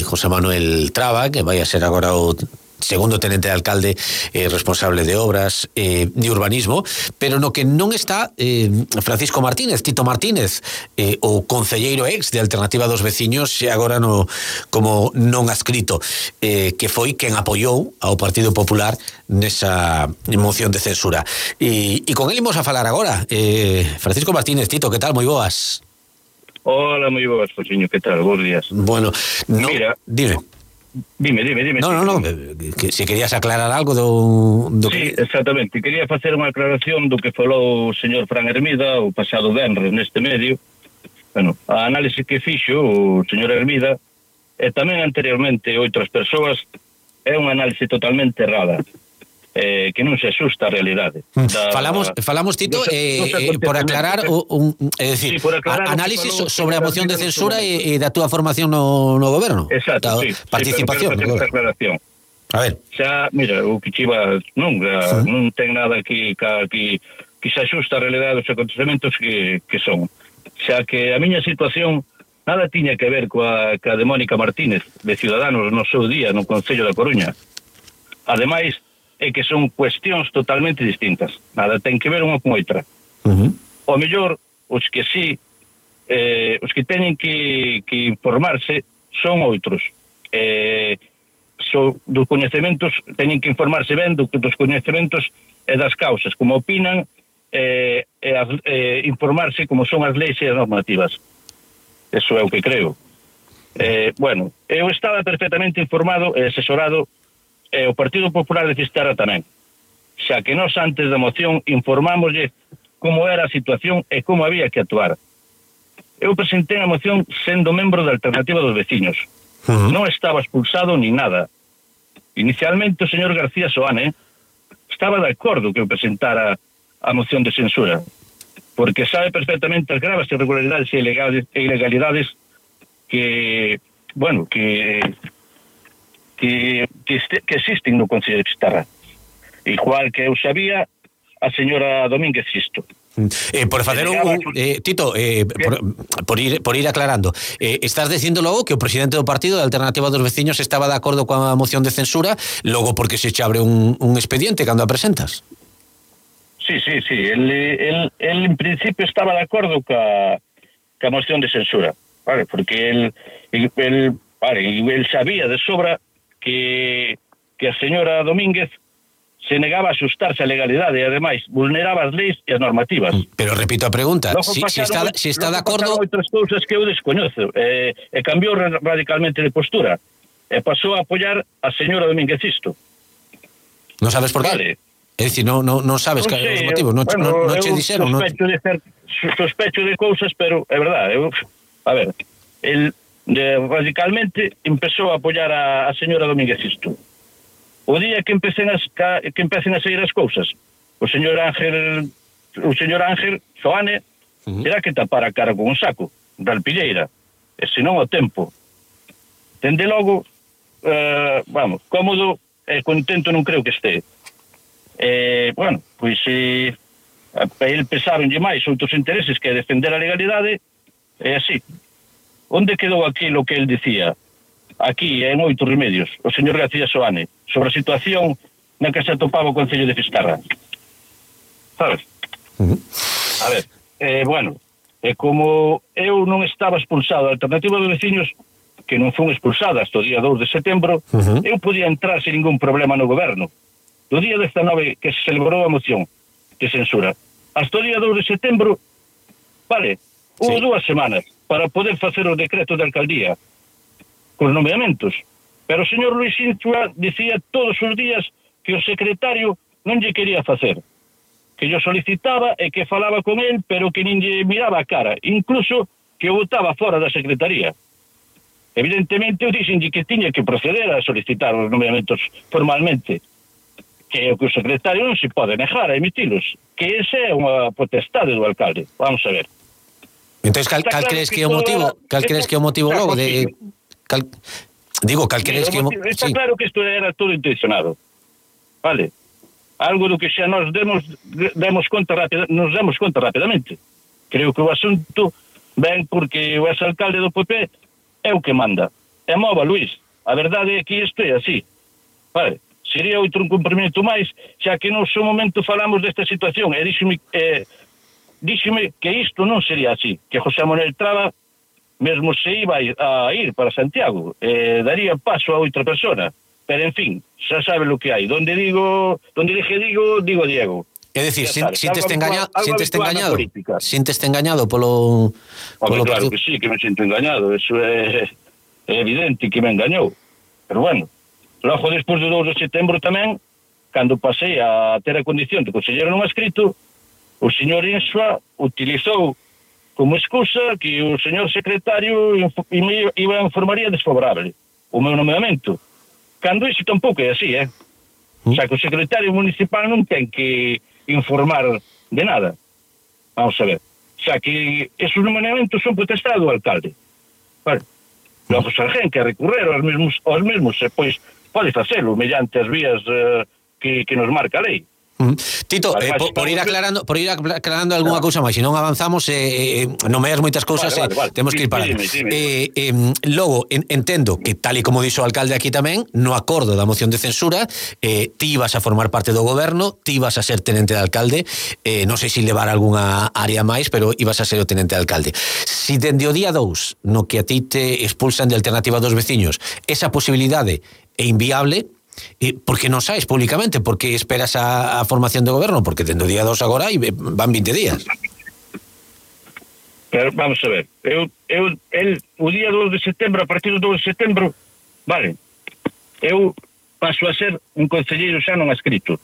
José Manuel Traba, que vai a ser agora o segundo tenente de alcalde responsable de obras de urbanismo, pero no que non está Francisco Martínez, Tito Martínez, o concelleiro ex de Alternativa dos Veciños, e agora como non adscrito, que foi quen apoiou ao Partido Popular nesa moción de censura. E con él imos a falar agora. Francisco Martínez, Tito, que tal? Moi boas. Hola, moi boas, Josiño, que tal? Bos días. Bueno, mira, dime. Dime. No, que se querías aclarar algo do sí, exactamente. Quería facer unha aclaración do que falou o señor Fran Hermida o pasado venres neste medio. Bueno, a análise que fixo o señor Hermida e tamén anteriormente outras persoas é unha análise totalmente errada. Que non se asusta a realidade. Falamos Tito, por aclarar decir, por aclarar análisis sobre a moción de censura e da túa formación no goberno. Exacto, sí, participación. Sí, aclaración. A ver. Xa, mira, o que chiva non ten nada que se asusta a realidade dos acontecementos que son. Xa que a miña situación nada tiña que ver coa de Mónica Martínez, de Ciudadanos, no seu día, no Concello da Coruña. Ademais, é que son cuestións totalmente distintas. Nada ten que ver unha con outra. O mellor, os que sí os que teñen que informarse son outros. Dos coñecementos, teñen que informarse ben dos coñecementos e das causas, como opinan, informarse como son as leis e as normativas. Eso é o que creo. Bueno, eu estaba perfectamente informado e asesorado, o Partido Popular de Fisterra tamén, xa que nós antes da moción informámoslle como era a situación e como había que actuar. Eu presentei a moción sendo membro da Alternativa dos Veciños. Non estaba expulsado ni nada. Inicialmente o señor García Soane estaba de acordo que eu presentara a moción de censura, porque sabe perfectamente as graves irregularidades e ilegalidades que existen no Concello de Fisterra, igual que eu sabía a señora Domínguez Sisto. Por facer Tito, por ir aclarando, estás dicindo logo que o presidente do partido da Alternativa dos Veciños estaba de acordo coa moción de censura, logo porque se abre un expediente cando a presentas? Sí, el en principio estaba de acordo ca moción de censura, vale, porque el sabía de sobra que a señora Domínguez se negaba a axustarse a legalidade e ademais vulneraba as leis e as normativas. Pero repito a pregunta, se está de acordo... Outras cousas que eu descoñezo, e cambiou radicalmente de postura e pasou a apoiar a señora Domínguez Sisto. Non sabes por qué? Vale. É dicir, non sabes que os motivos, non che dixeron. Sospecho de cousas, pero é verdade. A ver, radicalmente empezou a apoiar a señora Domínguez Sisto. O día que empecen a sair as cousas, o señor Ángel Soane terá que tapar a cara con un saco da alpilleira, e senón o tempo. Dende logo, cómodo e contento non creo que este. Bueno, pois a ele pesaronlle máis outros intereses que defender a legalidade, e así. Onde quedou aquilo que ele dicía? Aquí, en 8 remedios, o señor García Soane, sobre a situación na que se atopaba o Concello de Fisterra. Sabes? A ver, bueno, como eu non estaba expulsado da Alternativa dos Veciños, que non fun expulsada hasta o día 2 de setembro, eu podía entrar sin ningún problema no goberno. Do día 19 que se celebrou a moción de censura, hasta o día 2 de setembro, vale, hubo 2 semanas para poder facer o decreto de alcaldía cos nomeamentos, pero o señor Luis Insua dicía todos os días que o secretario non lle quería facer, que yo solicitaba e que falaba con él, pero que nin lle miraba a cara, incluso que o botaba fora da secretaría. Evidentemente eu dixenlle que tiña que proceder a solicitar os nomeamentos formalmente, que o secretario non se pode negar a emitilos, que ese é unha potestade do alcalde. Vamos a ver. Entonces, cal crees que é o motivo? Cal crees que é o motivo logo de... Está claro que isto era todo intencionado, vale, algo do que xa nos demos conta rapidamente. Creo que o asunto ven porque o exalcalde do PP é o que manda, e mova Luís. A verdade é que isto é así, vale. Sería outro cumprimento máis, xa que no seu momento falamos desta situación e díxeme que isto non sería así, que José Manuel Traba mesmo se iba a ir para Santiago, daría paso a outra persona, pero en fin, xa sabe lo que hai. Donde digo Diego. É dicir, sinteste engañado polo claro que sí, que me sinto engañado, eso é evidente que me engañou, pero bueno, logo despois do 2 de setembro tamén, cando pasei a ter a condición de conselleiro non escrito, o señor Insua utilizou como excusa que o señor secretario iba a informaría desfavorable o meu nomeamento, cando iso tampouco é así, O sea, que o secretario municipal non ten que informar de nada. Vamos a ver. O sea, que esos nomeamentos son potestade do alcalde. Vale. Logo, se alguén que recurrer aos mesmos, pois pode facelo mediante as vías que nos marca a lei. Tito, por ir aclarando algunha cousa máis, se non avanzamos, nomeas moitas cousas, vale. Temos que ir parando. Logo, entendo que, tal e como dixo o alcalde aquí tamén, no acordo da moción de censura, ti ibas a formar parte do goberno, ti ibas a ser tenente de alcalde, non sei se levar algunha área máis, pero ibas a ser o tenente de alcalde. Si dende o día 2, no que a ti te expulsan de Alternativa dos Veciños, esa posibilidade é inviable, porque non saes públicamente, porque esperas a formación do goberno, porque dentro do día 2 agora van 20 días. Pero vamos a ver, o día 2 de setembro, a partir do 2 de setembro, vale, eu paso a ser un concelleiro xa non adscrito.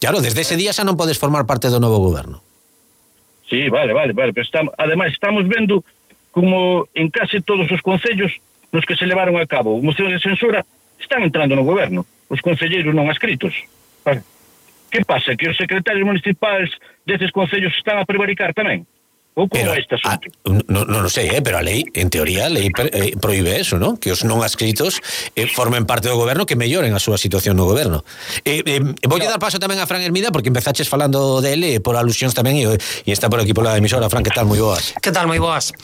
Claro, desde ese día xa non podes formar parte do novo goberno. Sí, vale, pero ademais estamos vendo como en case todos os concellos nos que se levaron a cabo mocións de censura están entrando no goberno os concelleiros non adscritos. Vale. Que pasa? Que os secretarios municipais deses concellos están a prevaricar tamén? Ou como é este asunto? Non sei, pero a lei, en teoría, a lei proíbe eso, ¿no? Que os non adscritos formen parte do goberno, que melloren a súa situación no goberno. Voulle dar paso tamén a Fran Hermida, porque empezaches falando dele por alusións tamén, e está por aquí pola emisora. Fran, que tal? Moi boas. Que tal? Moi boas.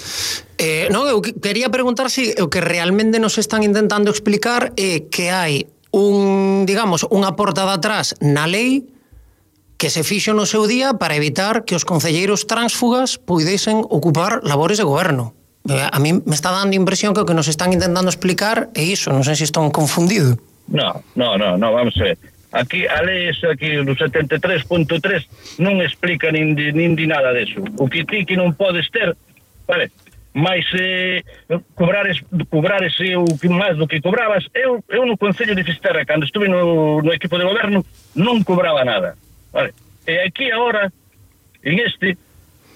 Non, eu quería preguntar se o que realmente nos están intentando explicar é que hai unha porta de atrás na lei que se fixo no seu día para evitar que os concelleiros tránsfugas puidesen ocupar labores de goberno. A mí me está dando impresión que o que nos están intentando explicar é iso, non sei se estou confundido. No, vamos a ver. Aquí, a lei aquí no 73.3 non explica nin di nada deso. O que ti que non podes ter, vale, mais cobrares o que máis do que cobrabas. Eu no Concello de Fisterra, cando estuve no equipo de goberno, non cobraba nada, vale? E aquí agora, en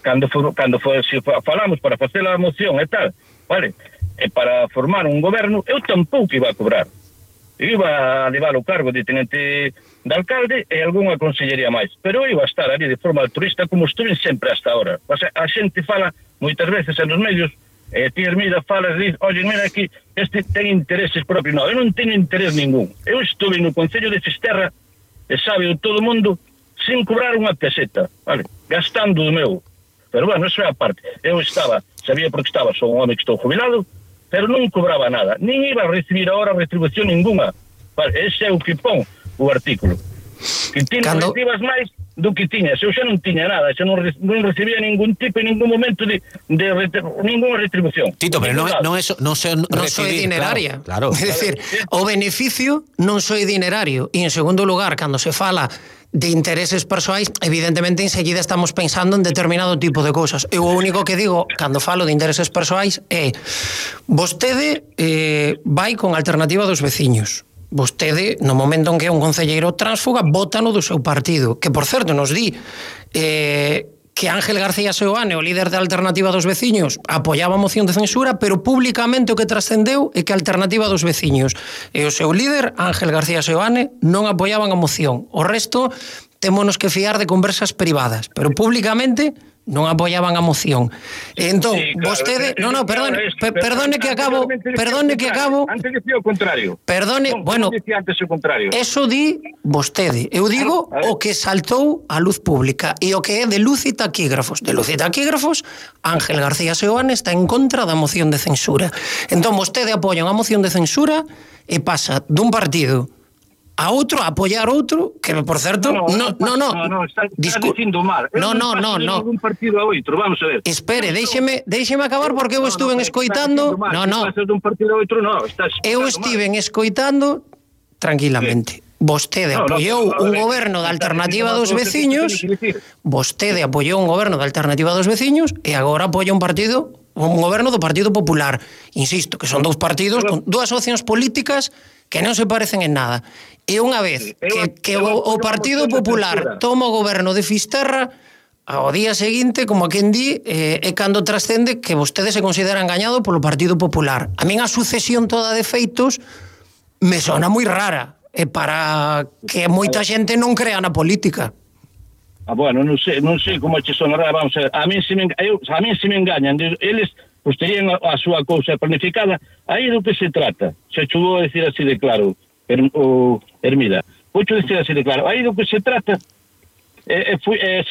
cando falamos para facer a moción e tal, vale, e para formar un goberno, eu tampouco iba a cobrar. Eu iba a levar o cargo de tenente de alcalde e algunha consellería máis, pero eu iba a estar ali de forma altruista como estuve sempre hasta ahora. O sea, a xente fala moitas veces en os medios, ti Hermida falas, diz, oye, mira aquí, este ten intereses propios. No, eu non teño interés ningún. Eu estuve no Concello de Fisterra, e sabe todo o mundo, sin cobrar unha peseta, vale, gastando do meu. Pero bueno, eso é a parte. Eu sabía porque sou un home que estou jubilado, pero non cobraba nada, nin iba a recibir ahora retribución ninguna. Vale, ese é o que pon o artículo. Que ti non recibas máis do que tiñas. Eu xa non tiña nada, xa non recibía ningún tipo en ningún momento de ninguna retribución. Tito, pero non soy dineraria. Claro. É dicir, o beneficio non soy dinerario. E en segundo lugar, cando se fala de intereses persoais, evidentemente enseguida estamos pensando en determinado tipo de cousas. Eu o único que digo cando falo de intereses persoais é vostede vai con Alternativa dos Veciños. Vostede, no momento en que é un concelleiro tránsfuga, vótano do seu partido, que por certo nos di que Ángel García Seoane, o líder da Alternativa dos Veciños, apoiaba a moción de censura, pero públicamente o que trascendeu é que a Alternativa dos Veciños e o seu líder, Ángel García Seoane, non apoiaban a moción. O resto, témonos que fiar de conversas privadas, pero públicamente non apoiaban a moción. Entón, sí, claro, vostede... Perdone que acabo... Antes dicía o contrario. Perdone, bueno... Antes o contrario. Eso di vostede. Eu digo o que saltou á luz pública e o que é de luz e taquígrafos. De luz e taquígrafos, Ángel García Seoane está en contra da moción de censura. Entón, vostede apoia unha moción de censura e pasa dun partido a outro, a apoiar outro, que por certo, está dicindo mal. No. Un partido a outro, vamos a ver. Espere, déixeme acabar porque eu estuve escoitando. Eu estive escoitando tranquilamente. Vostede apoiou un goberno da Alternativa dos Veciños, vostede apoiou un goberno da Alternativa dos Veciños e agora apoia un goberno do Partido Popular. Insisto, que son dous partidos con dúas opcións políticas que non se parecen en nada. E unha vez que o Partido Popular toma o goberno de Fisterra, ao día seguinte, como a quen di, é cando trascende que vostede se considera engañado polo Partido Popular. A min a sucesión toda de feitos me sona moi rara, e para que moita xente non crea na política. Bueno, non sei como che sonará, vamos a ver. A mí se me engañan, eles pues terían a súa cousa planificada. Aí do que se trata, se chegou a decir así de claro, Hermida, vou decir así de claro, aí do que se trata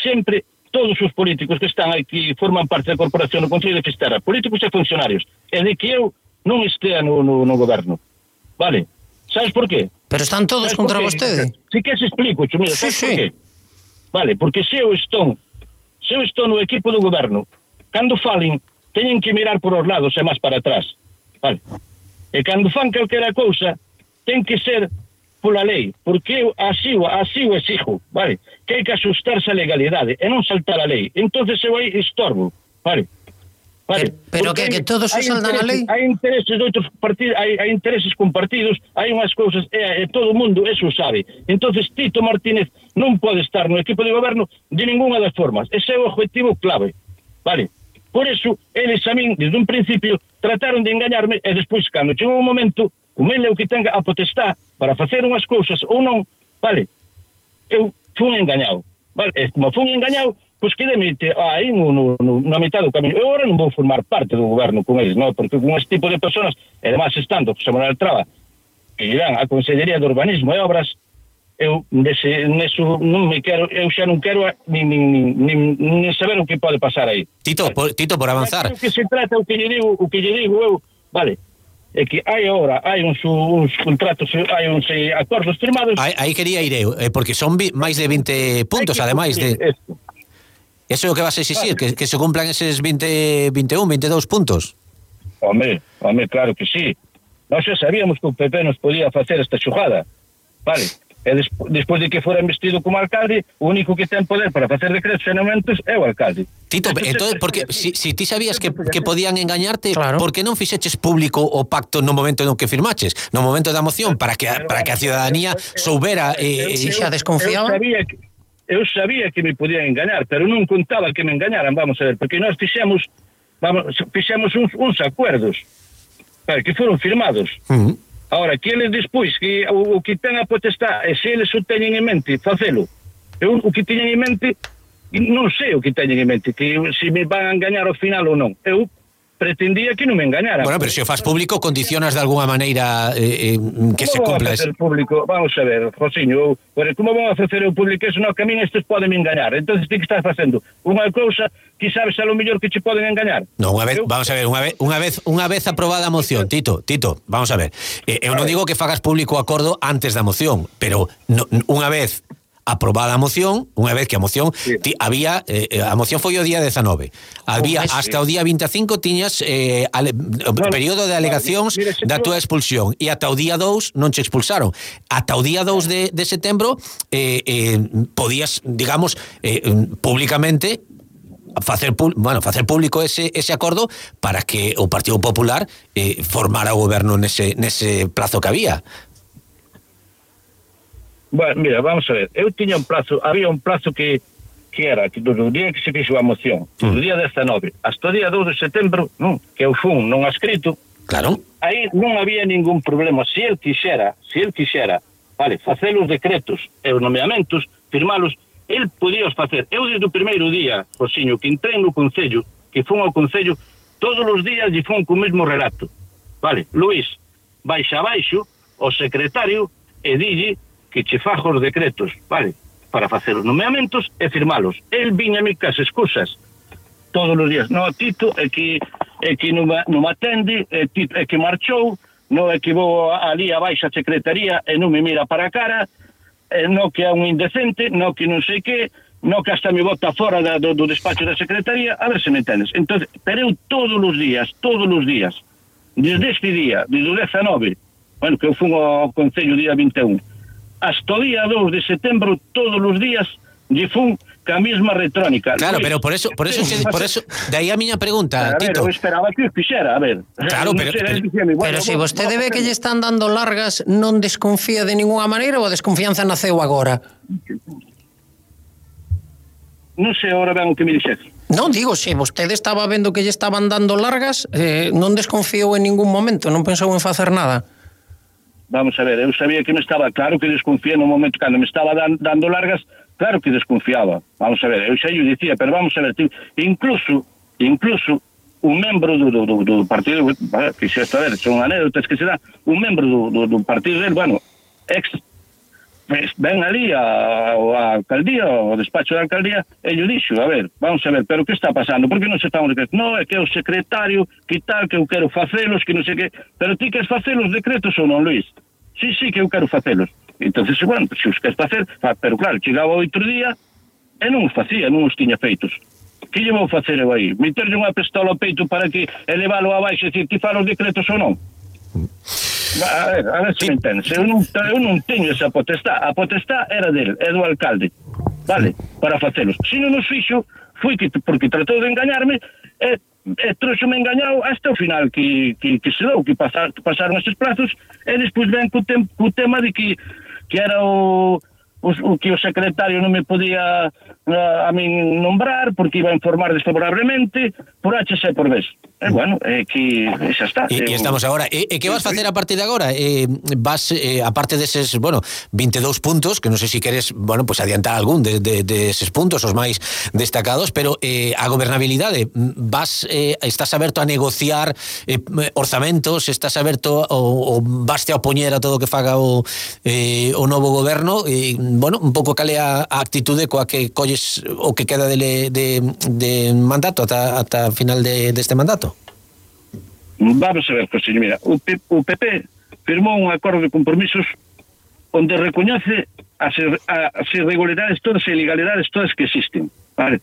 sempre todos os políticos que están aquí forman parte da corporación do Concello de Fisterra, políticos e funcionarios, e de que eu non estea no goberno. Vale? Sabes por qué? Pero están todos contra vostede. Si que se explico, Chumilo, sabes por qué? Vale, porque se eu estou no equipo do goberno, cando falen, teñen que mirar por os lados e máis para atrás. Vale? E cando fan calquera cousa, ten que ser pola lei, porque eu así o exijo, vale? Que hai que asustarse a legalidade e non saltar a lei. Entonces eu aí estorbo, vale? Pero que todos se saldan a lei? Hai intereses de outros partidos, hai intereses compartidos, hai unhas cousas, e todo o mundo eso sabe. Entonces Tito Martínez non pode estar no equipo de goberno de ninguna das formas. Ese é o objetivo clave, vale? Por eso, eles a min, desde un principio, trataron de engañarme, e despois, cando chegou un momento, como ele é o que tenga a potestad para facer unhas cousas ou non, vale, eu fui engañado, vale, e como fui engañado, pois quedeme aí na mitad do camiño. Eu agora non vou formar parte do goberno con eles, non? Porque con este tipo de personas, e además estando José Manuel Traba, que irán a Consellería de Urbanismo e Obras, eu neso non me quero, eu xa non quero nin saber o que pode pasar aí. Tito, por avanzar. O que se trata, o que lle digo eu, vale, é que hai uns contratos, hai uns acordos firmados. Aí quería ir eu, porque son máis de 20 puntos, ademais de... Eso é o que vas a exigir, que se cumplan eses 20, 21, 22 puntos. Home, claro que sí. Nós xa sabíamos que o PP nos podía facer esta xogada, vale? E despois de que fora investido como alcalde, o único que ten poder para facer decretos e nomentos é o alcalde. Tito, entonces, porque si ti sabías que podían engañarte, claro, por que non fixeches público o pacto no momento no que firmaches, no momento da moción, para que a ciudadanía soubera... xa desconfiaba? Eu sabía que me podían engañar, pero non contaba que me engañaran, vamos a ver, porque nós fixemos uns acuerdos, que foron firmados. Ahora, que eles despois, que o que ten a potestad, e se eles o teñen en mente, facelo. Eu o que teñen en mente, non sei o que teñen en mente, que se me van a engañar ao final ou non. Eu pretendía que non me engañaran. Bueno, pero se o faz público, condicionas de alguna maneira que se cumpla eso. Público? Vamos a ver, Josiño, como vamos a facer o público eso? Non, que a min estes poden me engañar. Entonces ti que estás facendo unha cousa que sabes a lo mellor que che poden engañar. No, vamos a ver, unha vez aprobada a moción, Tito, vamos a ver. Eu non digo que fagas público o acordo antes da moción, pero unha vez aprobada a moción, unha vez que a moción había, a moción foi o día 19, había hasta o día 25 tiñas período de alegacións da túa expulsión, e ata o día 2 non che expulsaron, ata o día 2 de setembro podías, digamos, públicamente facer público ese acordo para que o Partido Popular formara o goberno nese plazo que había. Bueno, mira, vamos a ver, eu tiña un plazo, había un plazo que era, que do día que se fixo a moción, do día 19 hasta o día 2 de setembro, que eu fun non escrito, claro, aí non había ningún problema. Se el quixera, vale, facer os decretos e os nomeamentos, firmalos, el podía os facer. Eu desde o primeiro día, Josiño, que entrei no Concello, que fun ao Concello, todos os días lle fun co mesmo relato, vale, Luís, baixa abaixo, o secretario, e dille que che fajo os decretos, vale, para facer os nomeamentos e firmalos. El viñame cas excusas todos os días. No, Tito, é que non me atende, é que marchou, non é que vou ali abaixo a secretaría e non me mira para a cara, non que é un indecente, non que non sei que, non que hasta me bota fora do despacho da secretaría, a ver se me entendes. Entonces, pero eu todos os días, desde este día, desde o 19, bueno, que eu fui ao Concello día 21, hasta o día 2 de setembro, todos os días, lle fun ca mesma retrónica. Claro, pero por eso, de aí a miña pregunta, a ver, Tito. Eu esperaba que o fixera, a ver. Claro, pero se vostede ve que lle están dando largas, non desconfía de ninguna maneira ou a desconfianza naceu agora? Non sei agora ben o que me dixes. Non, digo, se vostede estaba vendo que lle estaban dando largas, non desconfiou en ningún momento, non pensou en facer nada. Vamos a ver, eu sabía que me estaba, claro que desconfía no momento cando me estaba dando largas, claro que desconfiaba. Vamos a ver, eu xa lle dicía, pero vamos a ver, incluso un membro do partido, que xa está a ver, son anécdotas que se dá, un membro do partido del, bueno, ven ali a alcaldía, ao despacho da alcaldía, e yo dixo, a ver, vamos a ver, pero que está pasando? Por que non se está un decreto? No, é que é o secretario, que tal, que eu quero facelos, que non sei que... Pero ti queres facer os decretos ou non, Luís? Sí, que eu quero facelos. Entonces, bueno, se os queres facer, pero claro, chegaba outro día e non os facía, non os tiña feitos. Que lle vou facer eu aí? Meterlle unha pistola ao peito para que elevalo abaixo e dicir que fala os decretos ou non? A ver se me entendes. Eu non teño esa potestad. A potestad era del, é do alcalde, vale, para facelos. Se non os fixo, foi porque tratou de engañarme e trouxome engañado hasta o final que se dou, que pasaron estes plazos, e despois ven co tema de que era que o secretario non me podía a min nombrar porque iba a informar desfavorablemente por H e por B. Bueno, que xa está. E estamos agora. E que vas facer a partir de agora? Vas, aparte deses, 22 puntos, que non sei se queres, pues adiantar algún de eses puntos, os máis destacados, pero a gobernabilidade, estás aberto a negociar orzamentos, estás aberto ou vaste a opoñer a todo o que faga o novo goberno, un pouco cale a actitude coa que colles o que queda de mandato ata final deste mandato? Vamos a ver, José, mira, o PP firmou un acordo de compromisos onde recoñece as irregularidades todas e ilegalidades todas que existen, vale?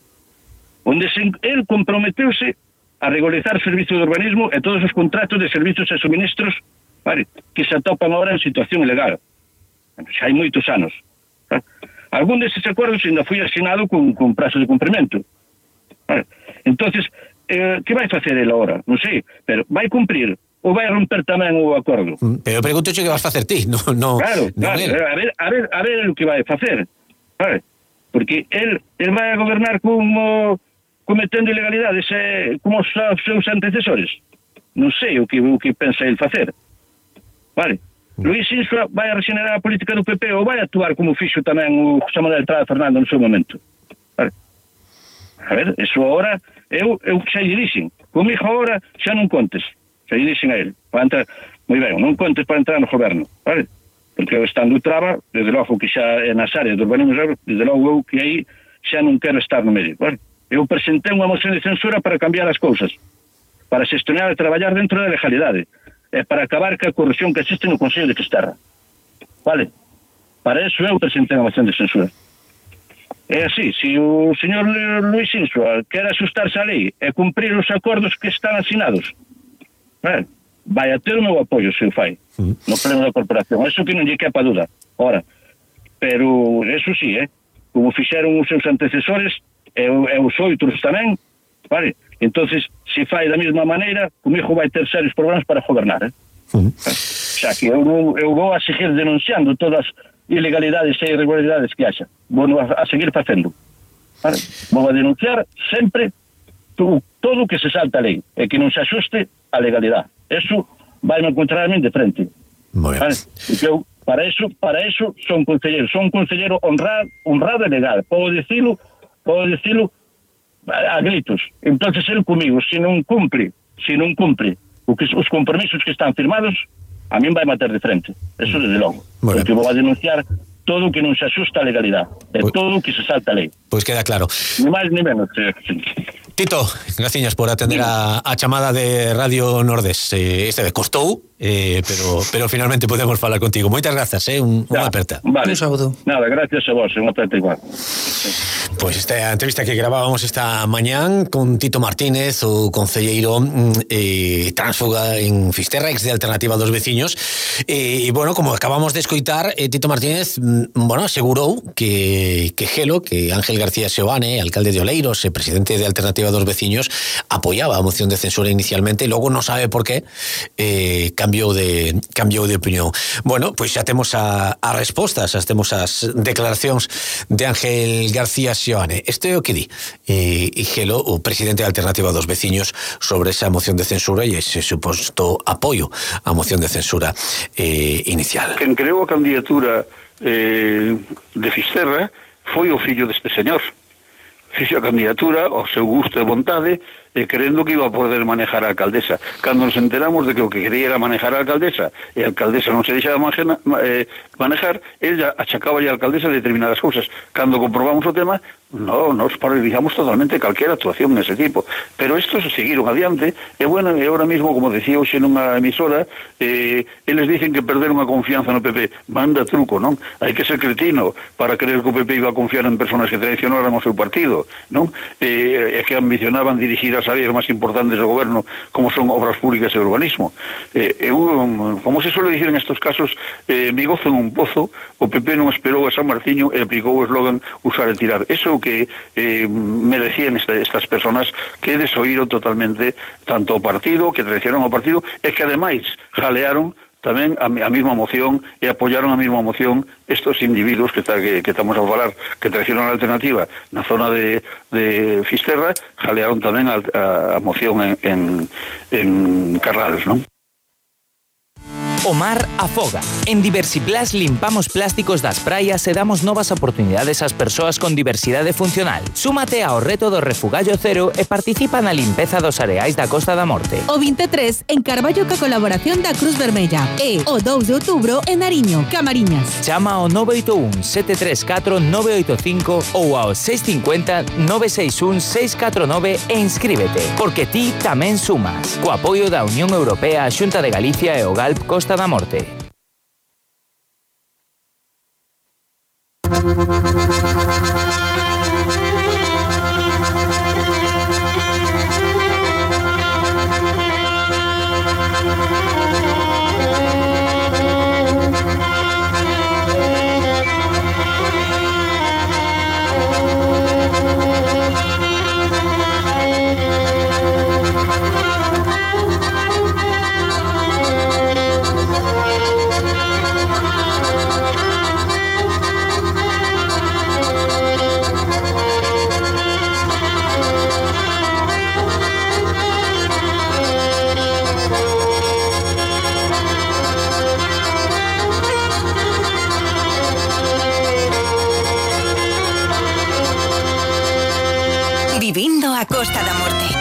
Onde el comprometeuse a regularizar servicios de urbanismo e todos os contratos de servicios e suministros, vale, que se atopan agora en situación ilegal. Xa hai moitos anos. Algún desses acordos ainda foi asinado con prazo de cumprimento. Vale. Entonces, que vai facer ele agora? Non sei, pero vai cumprir ou vai romper tamén o acordo? Pero pregunto que vas facer ti, non claro, a ver o que vai facer, vale? Porque el vai a gobernar cometendo ilegalidades como os seus antecesores. Non sei o que pensa ele facer, vale? Luís Insua vai a regenerar a política do PP ou vai actuar como fixo tamén o José Manuel Trada Fernando no seu momento, vale? A ver, eso agora eu xa lle dixen, comigo agora xa non contes, xa lle dixen a ele para entrar, moi ben, non contes para entrar no goberno, vale? Porque eu estando traba, desde logo que xa é nas áreas do urbanismo, desde logo eu que aí xa non quero estar no medio, vale? Eu presentei unha moción de censura para cambiar as cousas, para xestionar e traballar dentro da legalidade e para acabar ca corrupción que existe no Consello de Fisterra, vale? Para eso eu presentei unha moción de censura. É así, se o señor Luís Insua quer asustarse a lei e cumprir os acordos que están asinados, vai a ter o meu apoio se o fai no pleno da corporación, eso que non lle quepa duda. Ora, pero eso sí, como fixeron os seus antecesores e os outros tamén, vale? Entonces, se fai da mesma maneira, comigo vai ter serios problemas para gobernar, xa que eu vou a seguir denunciando todas ilegalidades e irregularidades que haxa, vou a seguir facendo, vale? Vou a denunciar sempre todo o que se salta a lei e que non se axuste a legalidade. Eso vai me encontrar a min de frente, vale? Porque eu para eso son un conselleiro honrado e legal, podo dicilo a gritos. Entonces el comigo, se non cumpre os compromisos que están firmados, a min vai matar de frente, eso desde logo, porque vou a denunciar todo o que non se axusta a legalidade, todo o que se salta a lei. Pois queda claro. Ni máis ni menos. Tito, graciñas por atender a chamada de Radio Nordés. Costou, pero finalmente podemos falar contigo. Moitas grazas, unha aperta. Vale. Un saúdo. Nada, gracias a vos, unha aperta igual. Pois esta entrevista que gravábamos esta mañán con Tito Martínez, o concelleiro tránsfuga en Fisterra, ex de Alternativa dos Veciños, como acabamos de escoitar, Tito Martínez, asegurou que Ángel García Seoane, alcalde de Oleiros e presidente de Alternativa dos Veciños, apoyaba a moción de censura inicialmente e logo non sabe por qué cambiou de opinión. Pois xa temos a respostas, xa temos as declaracións de Ángel García Seoane. Este é o que di Gelo, o presidente de Alternativa dos Veciños, sobre esa moción de censura e ese suposto apoio á moción de censura inicial. Quen creou a candidatura de Fisterra foi o fillo deste señor. Fixo a candidatura ao seu gusto e vontade querendo que iba a poder manejar a alcaldesa. Cando nos enteramos de que o que quería era manejar a alcaldesa e a alcaldesa non se deixaba manejar, ella achacaba a alcaldesa de determinadas cousas. Cando comprobamos o tema, nos paralizamos totalmente calquera actuación nese tipo. Pero estos seguiron adiante, e bueno, e ahora mismo, como decía hoxe nunha emisora, eles dicen que perderon a confianza no PP. Manda truco, non? Hai que ser cretino para creer que o PP iba a confiar en personas que traicionaran o seu partido, non? E que ambicionaban dirigir as áreas máis importantes do goberno, como son obras públicas e urbanismo. Como se suele dicir en estos casos, mi gozo en un pozo, o PP non esperou a San Martiño e aplicou o eslogan usar e tirar. Eso que merecían estas personas que desoíron totalmente tanto o partido, que traicionaron o partido, e que ademais jalearon tamén a mesma moción e apoyaron a mesma moción estos individuos que estamos a falar, que traicionaron a alternativa na zona de Fisterra, jalearon tamén a moción en Carrales, non? O mar afoga. En Diversiplas limpamos plásticos das praias e damos novas oportunidades ás persoas con diversidade funcional. Súmate ao reto do Refugallo Cero e participa na limpeza dos areais da Costa da Morte. O 23 en Carballo ca colaboración da Cruz Vermella e o 2 de outubro en Ariño, Camariñas. Chama ao 981 734 985 ou ao 650 961 649 e inscríbete, porque ti tamén sumas. Co apoio da Unión Europea, a Xunta de Galicia e o GALP Costa da Morte. Vivindo a Costa da Morte.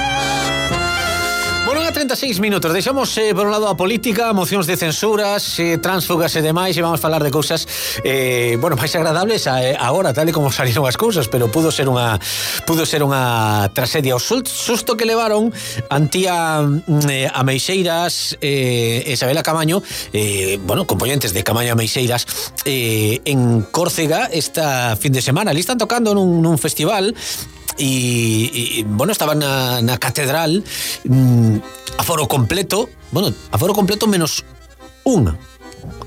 Bueno, a 36 minutos. Deixamos, por un lado, a política, mocións de censuras, tránsfugas e demais, e vamos a falar de cousas, máis agradables agora, tal e como salieron as cousas, pero pudo ser unha tragedia. O susto que levaron Antía Ameixeiras e Isabela Camaño, componentes de Camaño Ameixeiras, en Córcega esta fin de semana. Ali están tocando nun festival e estaban na catedral, aforo completo menos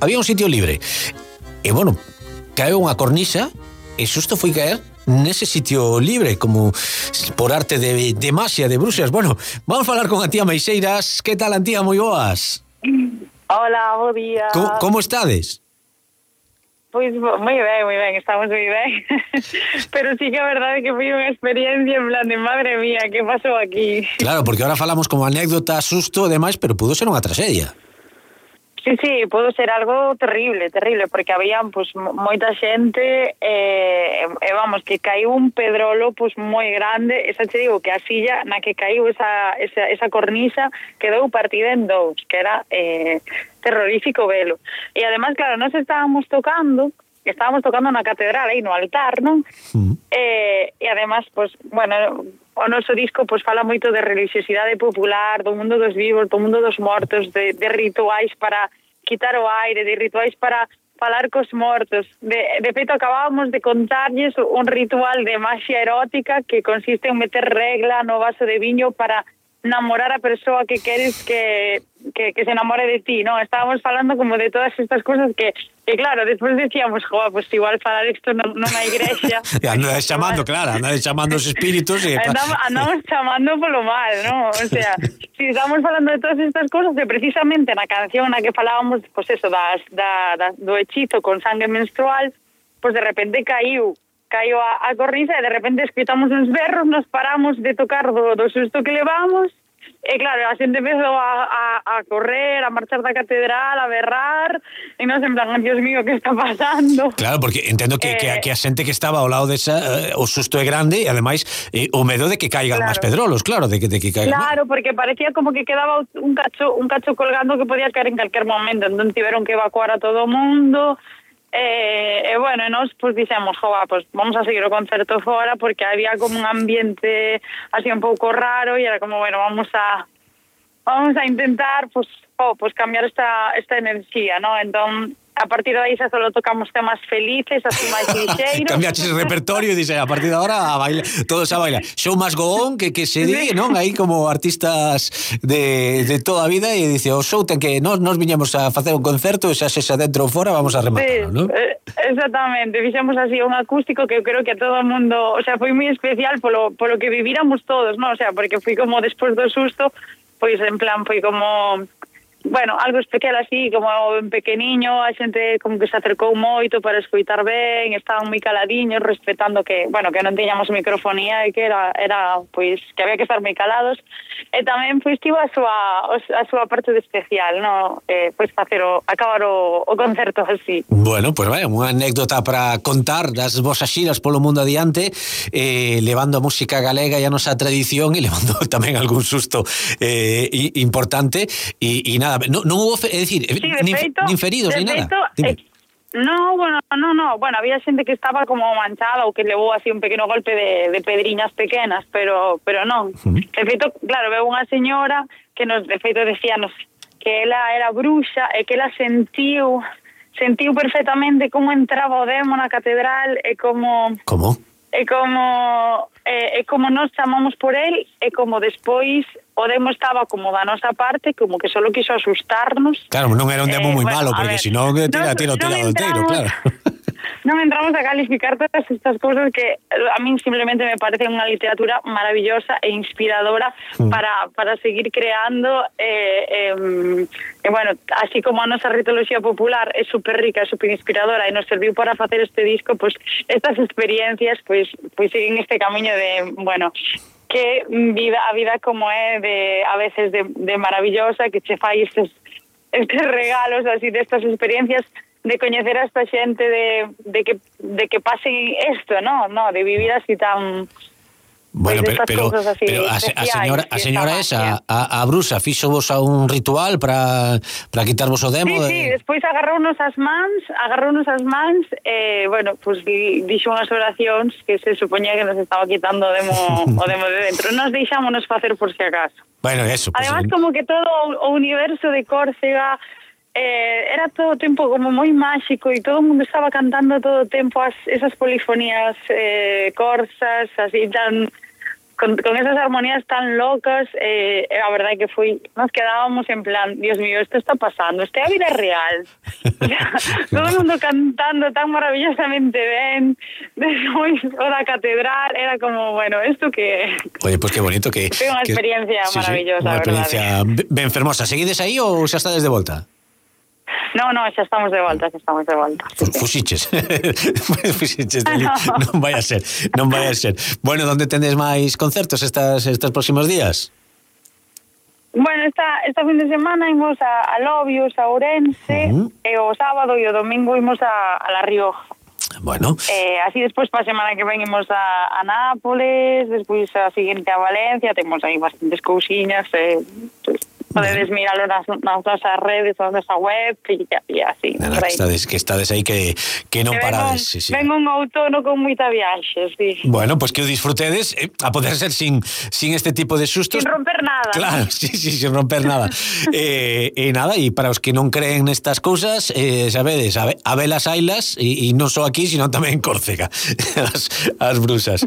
había un sitio libre, e caeu unha cornisa e xusto foi caer nese sitio libre, como por arte de magia de bruxas. Vamos a falar con Antía Ameixeiras. Que tal, Antía? Moi boas. Hola, bo día. Como estades? Pois moi ben, estamos moi ben. Pero sí que a verdade que foi unha experiencia en plan de madre mía, que pasou aquí? Claro, porque ahora falamos como anécdota, susto e demais, pero pudo ser unha tragedia. Sí, pudo ser algo terrible, porque había moita xente que caiu un pedrolo moi grande. Esa che digo que a silla na que caiu esa cornisa quedou partida en dous, que era terrorífico velo. E además, claro, nos estábamos tocando na catedral, aí no altar, non? E además, o noso disco fala moito de religiosidade popular, do mundo dos vivos, do mundo dos mortos, de rituais para quitar o aire, de rituais para falar cos mortos. De feito, acabábamos de contarlles un ritual de magia erótica que consiste en meter regla no vaso de viño para namorar a persoa que queres que se enamore de ti, non? Estábamos falando como de todas estas cosas que claro, despois decíamos, igual falar isto nunha igrexa. Andades chamando os espíritos. Andamos chamando polo mal, non? O sea, si estamos falando de todas estas cosas, que precisamente na canción na que falábamos, do hechizo con sangue menstrual, de repente caiu a cornisa e de repente escritamos uns berros, nos paramos de tocar do susto que levamos E claro, a xente empezou a correr, a marchar da catedral, a berrar, e nos en plan, Dios mío, que está pasando? Claro, porque entendo que a xente que estaba ao lado desa, o susto é grande, e ademais o medo de que caigan máis pedrolos, claro, de que caigan. Claro, porque parecía como que quedaba un cacho colgando que podía caer en calquer momento, entón tiveron que evacuar a todo o mundo. Bueno, e nos pues dixemos, pues vamos a seguir o concerto fora, porque había como un ambiente así un pouco raro, e era como, bueno, vamos a intentar pues cambiar esta enerxía, ¿no? Entón, a partir de aí xa solo tocamos temas felices, así máis lixeiros. Cambiaches el repertorio e dixe, a partir de ahora a bailar, todos a bailar. Show más go on, que se di, non? Aí como artistas de toda a vida, e dice, o show ten que nos viñamos a facer un concerto, e xa sexa dentro ou fora, vamos a rematar, non? Exactamente, fixemos así un acústico que eu creo que a todo o mundo, o sea, foi moi especial polo que viviramos todos, non? O sea, porque foi como despois do susto, pois en plan foi como, bueno, algo especial así, como en pequeniño, a xente como que se acercou moito para escoitar ben, estaban moi caladiños, respetando que, bueno, que non tiñamos microfonía e que era pois, que había que estar moi calados, e tamén pois tivo a súa parte de especial, no? Pois acabar o concerto así. Bueno, pues vaya, unha anécdota para contar das vosas xiras polo mundo adiante, levando a música galega e a nosa tradición, e levando tamén algún susto importante, e nada, non hubo, é dicir, nin feridos, nin nada. No, bueno, había xente que estaba como manchada ou que levou así un pequeno golpe de pedriñas pequenas, pero non. De feito, claro, veo unha señora que nos, de feito, decíanos que ela era bruxa e que ela sentiu perfectamente como entraba o demo na catedral e como... Como? E como nos chamamos por él, e como despois o demo estaba como da nosa parte, como que solo quiso asustarnos. Claro, non era un demo moi malo, porque senón tira o enteiro, claro. Non entramos a calificar todas estas cousas que a min simplemente me parece unha literatura maravillosa e inspiradora para seguir creando, bueno, así como a nosa ritoloxía popular é super rica, é super inspiradora e nos serviu para facer este disco, pues estas experiencias pues siguen este camiño de, bueno, que a vida como é a veces de maravillosa, que che fai estes regalos así destas experiencias, de coñecer a esta xente, de que pasen esto, ¿no? De vivir así tan... Bueno, pero a señora esa, a bruxa, fixo vos a un ritual para quitarvos o demo? Sí, despois agarrounos as mans, bueno, pues dixo unhas oracións que se supoñía que nos estaba quitando o demo de dentro. Nos deixámonos facer por si acaso. Bueno, eso. Además, como que todo o universo de Córcega era todo o tempo como moi máxico, e todo o mundo estaba cantando todo o tempo esas polifonías corsas, así tan con esas armonías tan locas, a verdade que nos quedábamos en plan, Dios mío, esto está pasando, esta é a vida real. Todo o mundo cantando tan maravillosamente ben, despois o da catedral, era como, bueno, esto que... Oye, pues qué bonito que... Foi unha experiencia maravillosa, unha experiencia ben fermosa. Seguides aí ou xa estades de volta? No, xa estamos de volta, Fusiches. Fusiches de ali. Non vai a ser. Bueno, onde tendes máis concertos estes próximos días? Bueno, esta fin de semana imos a Lobios, a Ourense, e o sábado e o domingo imos a La Rioja. Bueno. Así despois para a semana que ven imos a Nápoles, despois a seguinte a Valencia, temos aí bastantes cousiñas, podedes miralo nas nosas redes, nas nosa web e así. Nada, que estades aí que non parades. Ven un outono con moita viaxe, sí. Bueno, pues que o disfrutedes, a poder ser sin este tipo de sustos. Sin romper nada. Claro, sí, sin romper nada. Nada, e para os que non creen nestas cousas, sabedes, a velas ailas, e non só aquí, sino tamén en Córcega, as brusas.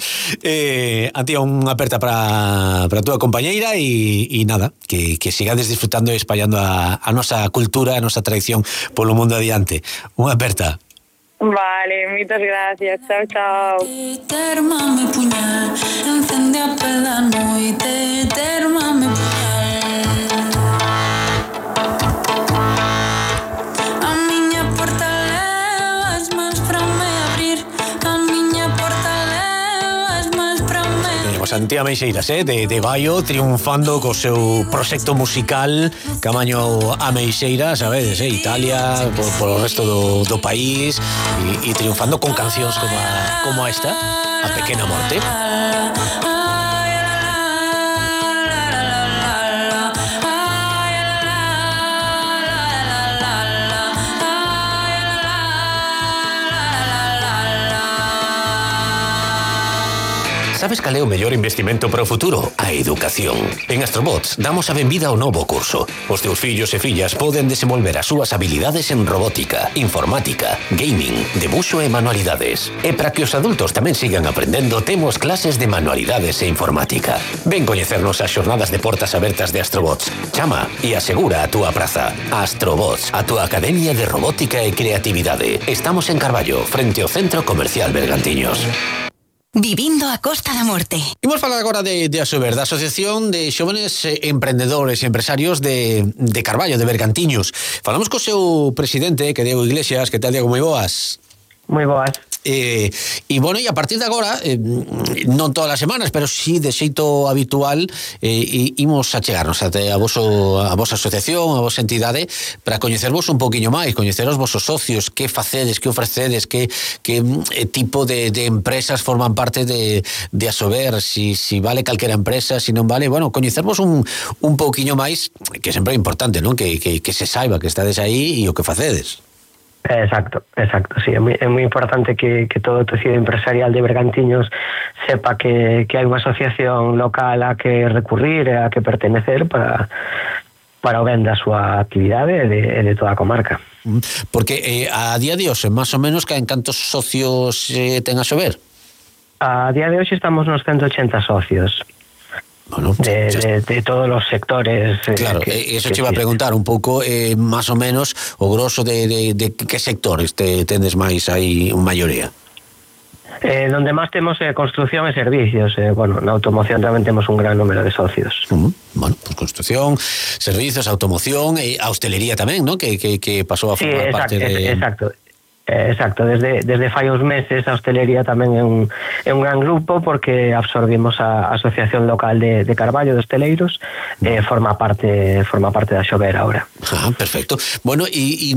Antía, unha aperta para a túa compañeira, e nada, que sigades disfrutando e espallando a nosa cultura, a nosa tradición polo mundo adiante. Unha aperta. Vale, moitas gracias. Chao. Termame puñal, encende a pela noite, termame puñal. A miña porta levas máis para me abrir, a miña porta levas máis para me temos a Antía Meixeiras, de Baio, triunfando co seu proxecto musical camaño a Meixeiras, sabedes, Italia, por o resto do país, e triunfando con cancións como esta, A Pequena Morte. Sabes cal é o mellor investimento para o futuro? A educación. En Astrobots damos a benvida ao novo curso. Os teus fillos e fillas poden desenvolver as súas habilidades en robótica, informática, gaming, debuxo e manualidades. E para que os adultos tamén sigan aprendendo, temos clases de manualidades e informática. Ven coñecernos as xornadas de portas abertas de Astrobots. Chama e asegura a túa praza. Astrobots, a túa academia de robótica e creatividade. Estamos en Carballo, frente ao Centro Comercial Bergantiños. Vivindo a Costa da Morte. Imos falar agora de Asober, da Asociación de Xóvenes Emprendedores e Empresarios de Carballo, de Bergantiños. Falamos co seu presidente, que é Diego Iglesias. Que tal, Diego? Moi boas. Moi boas. E bueno, e a partir de agora, non todas as semanas, pero sí de xeito habitual, imos a chegarnos até a vosa asociación, a vosa entidade, para coñecervos un poquinho máis, coñecer os vosos socios, que facedes, que ofrecedes, que tipo de empresas forman parte de Asober, si vale calquera empresa, si non vale, bueno, coñecervos un poquinho máis, que sempre é importante, non? Que se saiba que estades aí e o que facedes. Exacto, sí, é moi importante que todo o tecido empresarial de Bergantiños sepa que hai unha asociación local a que recurrir e a que pertenecer para o ben da súa actividade e de toda a comarca. Porque a día de hoxe, máis ou menos, en cantos socios ten Asober? A día de hoxe estamos nos 180 socios. Bueno, de todos los sectores. Claro, eso te iba a preguntar un pouco, máis ou menos, o grosso de que sectores tendes máis aí maioría? Donde máis temos construcción e servicios. Bueno, na automoción tamén temos un gran número de socios. Bueno, pues construcción, servicios, automoción e a hostelería tamén, ¿no? Que pasou a formar parte de... Exacto, desde fai uns meses a hostelería tamén é un gran grupo, porque absorbimos a Asociación Local de Carballo de Hosteleiros, forma parte da Asober ahora. Perfecto. Bueno, e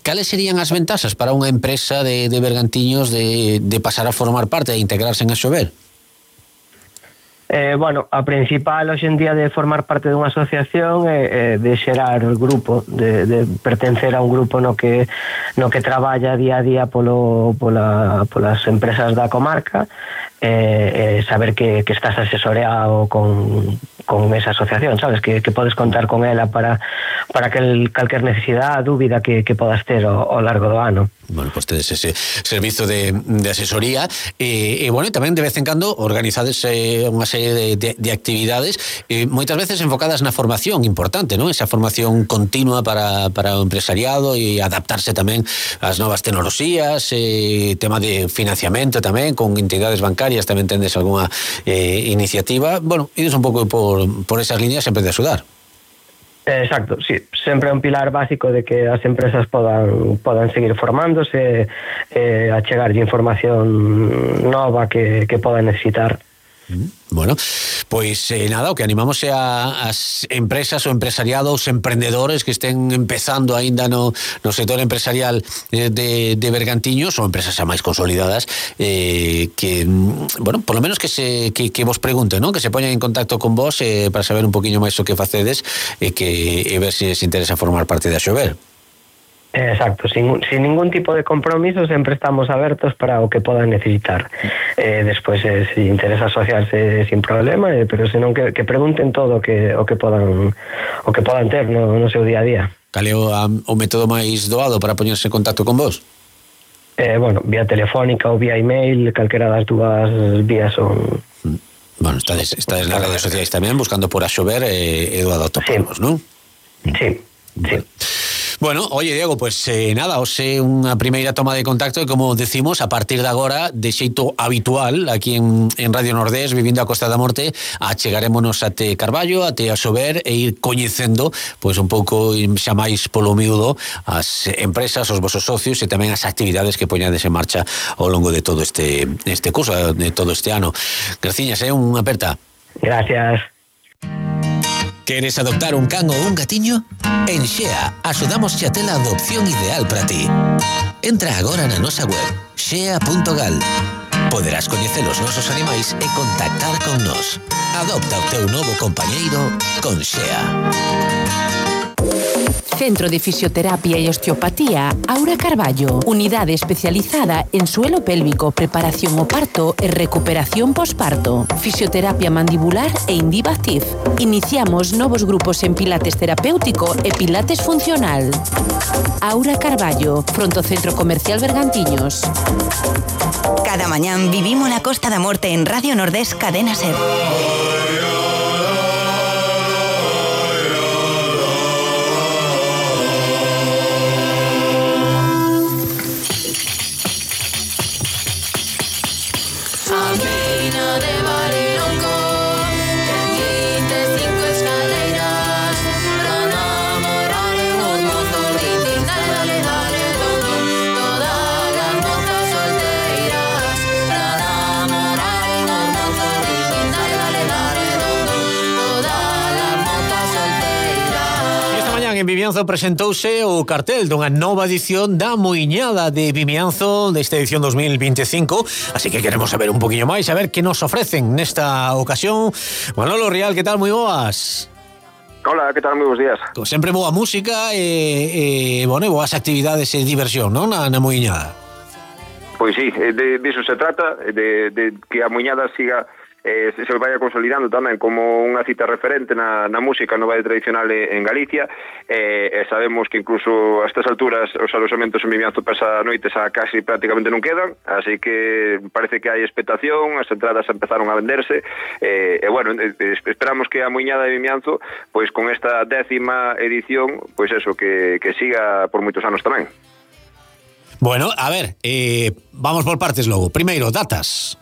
cales serían as ventaxas para unha empresa de Bergantiños de pasar a formar parte, de integrarse en Asober? Bueno, a principal hoxe en día de formar parte dunha asociación é de xerar o grupo, de pertencer a un grupo no que traballa día a día polas empresas da comarca, saber que estás asesoreado con esa asociación, sabes, que podes contar con ela para calquer necesidade, dúbida que podas ter ao largo do ano. Bueno, pues tedes ese servizo de asesoría e bueno, tamén de vez en cando organizades unha serie de actividades moitas veces enfocadas na formación importante, non? Esa formación continua para o empresariado e adaptarse tamén ás novas tecnoloxías, tema de financiamento tamén con entidades bancarias, tamén tendes algunha iniciativa. Bueno, ides un pouco por esas líneas sempre de axudar. Exacto, sí, sempre é un pilar básico de que as empresas podan seguir formándose, achegarlle información nova que podan necesitar. Bueno, pois nada, o que animamos é as empresas, o empresariado, os emprendedores que estén empezando aínda no sector empresarial de Bergantiños, ou empresas xa máis consolidadas, que, bueno, por lo menos que vos pregunten, ¿no? Que se poñan en contacto con vos para saber un poquinho máis o que facedes e ver se se interesa formar parte da Asober. Exacto, sin ningún tipo de compromiso, sempre estamos abertos para o que podan necesitar. Despois, se interesa asociarse sin problema, pero senón que pregunten todo o que podan ter no seu día a día. Cal é o método máis doado para poñerse en contacto con vos? Bueno, vía telefónica ou vía email, calquera das dúas vías son... Bueno, estades nas redes sociais tamén buscando por Asober e Eduardo Topamos, non? Sí. Bueno, oye, Diego, pues nada, hoxe unha primeira toma de contacto e como decimos, a partir de agora, de xeito habitual, aquí en Radio Nordés, vivindo a Costa da Morte, achegarémonos até Carballo, até a Sober e ir coñecendo, pois un pouco xa máis polo miúdo as empresas, os vosos socios e tamén as actividades que poñades en marcha ao longo de todo este curso, de todo este ano. Graciñas, unha aperta. Gracias. ¿Queres adoptar un can o un gatiño? En Xea axudamos a ter a adopción ideal para ti. Entra agora na nosa web xea.gal. Poderás coñecer os nosos animais e contactar con nós. Adopta o teu novo compañeiro con Xea. Centro de Fisioterapia y Osteopatía Aura Carballo. Unidade especializada en suelo pélvico, preparación o parto e recuperación posparto. Fisioterapia mandibular e Indivactive. Iniciamos novos grupos en pilates terapéutico e pilates funcional. Aura Carballo, fronto Centro Comercial Bergantiños. Cada mañán vivimos la Costa da Morte en Radio Nordés Cadena SER. En Vimianzo presentouse o cartel dunha nova edición da Muiñada de Vimianzo desta edición 2025, así que queremos saber un poquinho máis, a ver que nos ofrecen nesta ocasión. Manolo Rial, que tal? Moi boas. Hola, que tal? Moi bons días. Como sempre, boa música e boas actividades e diversión, non? Na Muiñada. Pois sí, de iso se trata, de que a Muiñada siga se vaya consolidando tamén como unha cita referente na música no baile tradicional en Galicia, e sabemos que incluso a estas alturas os alojamentos en Vimianzo para esa noite xa casi prácticamente non quedan, así que parece que hai expectación, as entradas empezaron a venderse, e bueno, esperamos que a Muiñada de Vimianzo, pois con esta 10ª edición, pois eso, que siga por moitos anos tamén. Bueno, a ver, vamos por partes logo. Primeiro, datas.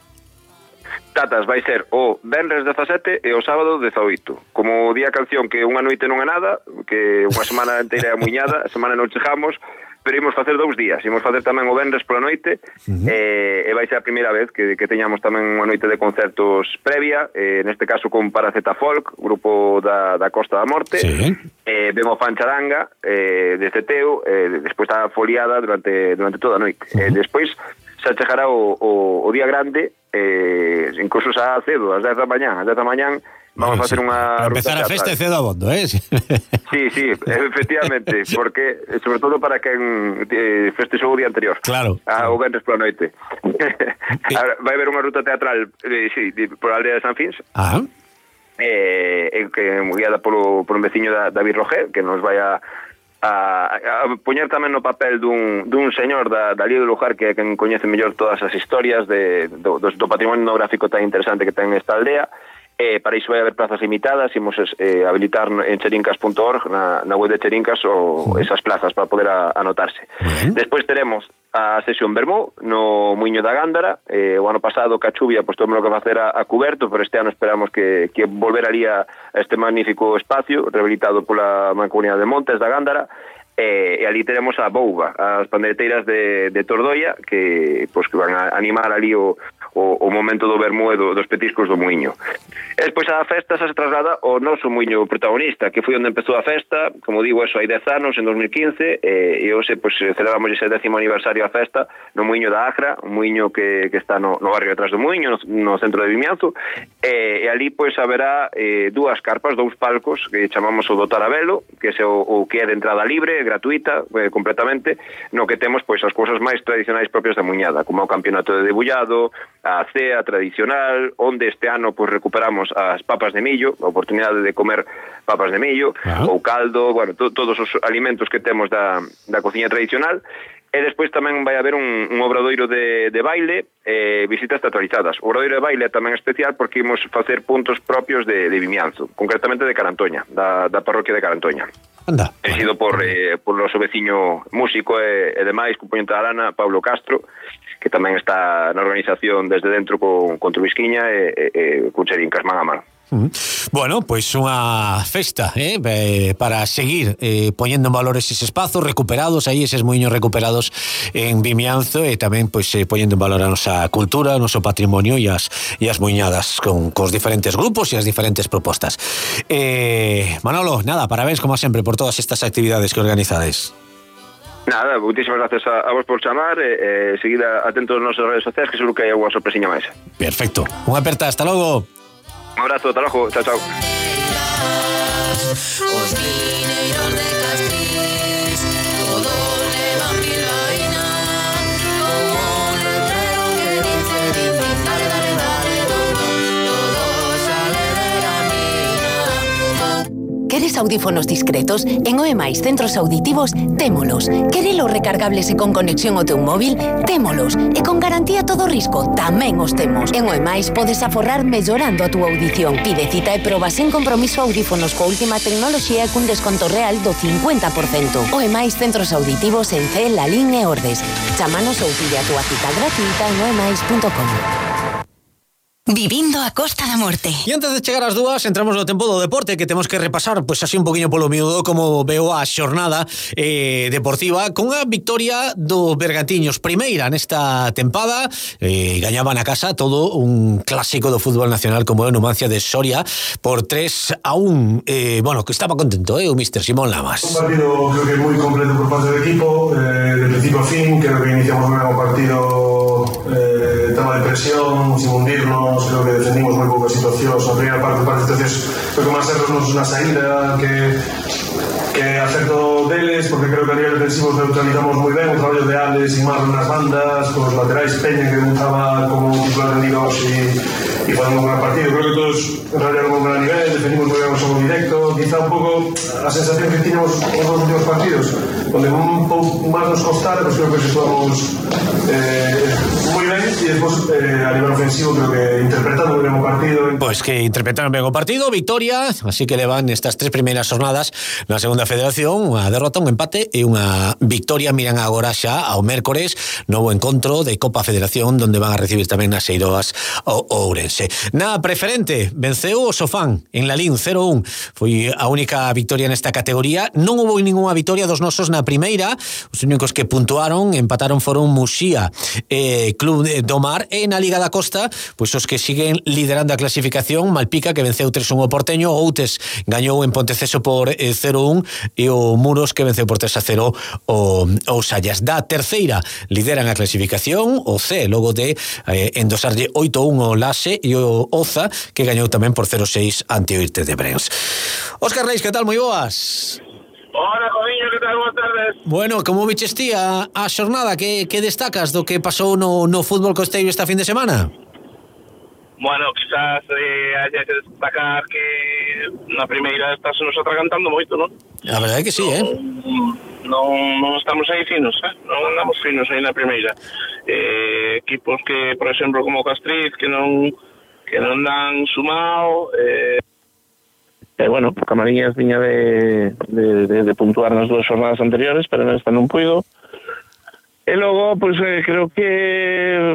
Datas vai ser o venres 17 e o sábado 18. Como día canción que unha noite non é nada, que unha semana inteira é a Muiñada, a semana non chegamos, pero imos facer 2 días. Imos facer tamén o venres pola noite, e vai ser a primeira vez que teñamos tamén unha noite de concertos previa, neste caso con Paraceta Folk, grupo da Costa da Morte, vemos Fancharanga, desde Teo, despois está foliada durante toda a noite. Despois xa chegará o día grande, incluso xa cedo, ás 10 da mañán. Ás 10 da mañán vamos a facer unha ruta empezar a festa cedo a bondo, Sí, efectivamente, porque sobre todo para quen festexou o día anterior. Claro. O venres pola noite. Vai haber unha ruta teatral, por a aldea de San Fins. Que guiada por un veciño da David Roger, que nos vai a poñer tamén no papel dun señor da Lío do Lugar, que é quen coñece mellor todas as historias do patrimonio etnográfico tan interesante que ten esta aldea. Para iso vai haber plazas limitadas, imos habilitar en cherincas.org, na web de Cherincas, esas plazas para poder anotarse. Despois teremos a sesión Vermú no Muiño da Gándara. O ano pasado, ca chuvia, pois tomamos que facer a cuberto, pero este ano esperamos que volver ali a este magnífico espacio rehabilitado pola Mancomunidade de Montes da Gándara. E ali teremos a Bouba, as pandeireteiras de Tordoia, que van a animar ali o momento do vermú e dos petiscos do muiño. E despois a festa se traslada ao noso muiño protagonista, que foi onde empezou a festa, como digo, eso hai 10 anos, en 2015, e hoxe celebramos ese 10º aniversario da festa no muiño da Agra, un muiño que está no barrio atrás do muiño, no centro de Vimianzo, e ali haberá 2 carpas, 2 palcos, que chamamos o do Tarabelo, que é o que é de entrada libre, gratuita, completamente, no que temos as cousas máis tradicionais propias da Muiñada, como o campeonato de debullado, a cea tradicional, onde este ano recuperamos as papas de millo, a oportunidade de comer papas de millo, ou caldo, todos os alimentos que temos da cociña tradicional. E despois tamén vai haber un obradoiro de baile e visitas teatralizadas. O obradoiro de baile é tamén especial porque imos facer puntos propios de Vimianzo, concretamente de Carantoña, da parroquia de Carantoña. Anda. Dirixido por o seu veciño músico e demais, componente da Arana, Pablo Castro, que tamén está na organización desde dentro con Trubisquiña e con Cherincas man a man. Bueno, pois unha festa para seguir poñendo en valor eses espazos recuperados, aí eses muiños recuperados en Vimianzo, e tamén pois poñendo en valor a nosa cultura, o noso patrimonio e as muiñadas con os diferentes grupos e as diferentes propostas. Manolo, nada, parabéns como sempre por todas estas actividades que organizades. Nada, muchísimas gracias a vos por chamar e seguir atentos nas nosas redes sociais, que seguro que hai alguna sorpresiña máis. Perfecto, unha aperta, hasta logo. Un abrazo, hasta luego, chao, chao. Os mineiros de Castrís todos levan bilbaína, como un letrero que dice din, din, dale, dale, dale, todos sale de la mina. Queres audífonos discretos? En OEMAIS Centros Auditivos témolos. Querelos recargables e con conexión ao teu móvil? Témolos. E con garantía todo risco? Tamén os temos. En OEMAIS podes aforrar mellorando a túa audición. Pide cita e proba sen compromiso audífonos coa última tecnoloxía e cun desconto real do 50%. OEMAIS Centros Auditivos en C, Lalín e Ordes. Chámanos ou pide a túa cita gratuita en oemais.com. Vivindo a Costa da Morte. E antes de chegar ás dúas, entramos no tempo do deporte, que temos que repasar pois así un poquinho polo miúdo como veo a xornada deportiva con a victoria do Bergantiños, primeira nesta tempada, gañaba na casa todo un clásico do fútbol nacional como é o Numancia de Soria por 3-1. Bueno, que estaba contento, o míster Simón Lamas. Un partido creo que moi completo por parte do equipo, de principio a fin, creo que iniciamos ben o partido, tema de presión, sin hundirnos, creo que defendimos moi poucas situacións, na primeira parte de situacións, creo que máis erros na saída que acerto deles, porque creo que a nivel defensivo neutralizamos moi ben o traballo de Alex e Marlon nas bandas, con os laterais Peña que debutaba como titular de Liga e facendo un gran partido. Creo que todos enrallaron un gran nivel, defendimos moi ben o xogo directo, quizá un pouco a sensación que tiñamos os dos últimos partidos, onde un pouco máis nos costara, pues creo que situamos moi ben, e despois a nivel ofensivo creo que interpretando ben o partido. Pois que interpretaron ben o partido, victoria, así que levan estas tres primeiras jornadas na segunda federación, unha derrota, un empate e unha victoria. Miran agora xa ao mércores, novo encontro de Copa Federación, donde van a recibir tamén nas Eiroas o Ourense. Na preferente, venceu o Sofán en Lalín 0-1, foi a única victoria nesta categoría. Non houve ninguna victoria dos nosos na primeira, os únicos que puntuaron, empataron foron Muxía e Club do Mar, e na Liga da Costa, pois os que siguen liderando a clasificación, Malpica que venceu 3-1 o Porteño, Outes gañou en Ponteceso por 0-1 e o Muros que venceu por 3-0 o Sallas. Da terceira lideran a clasificación o C, logo de endosarlle 8-1 o Lase e o Oza que gañou tamén por 0-6 ante o Irte de Brens. Óscar Reis, que tal? Moi boas. Hola, Coviño, que tal? Boas tardes. Bueno, como viches ti a xornada? Que destacas do que pasou no fútbol costeiro esta fin de semana? Bueno, quizás haya que destacar que na primeira está se nos atragantando moito, non? A verdade é que sí, Non estamos aí finos, non andamos finos aí na primeira. Equipos que, por exemplo, como Castriz, que non dan sumado, bueno, Camariñas viña de puntuar nas dúas jornadas anteriores, pero nesta non puido. E logo, pois, creo que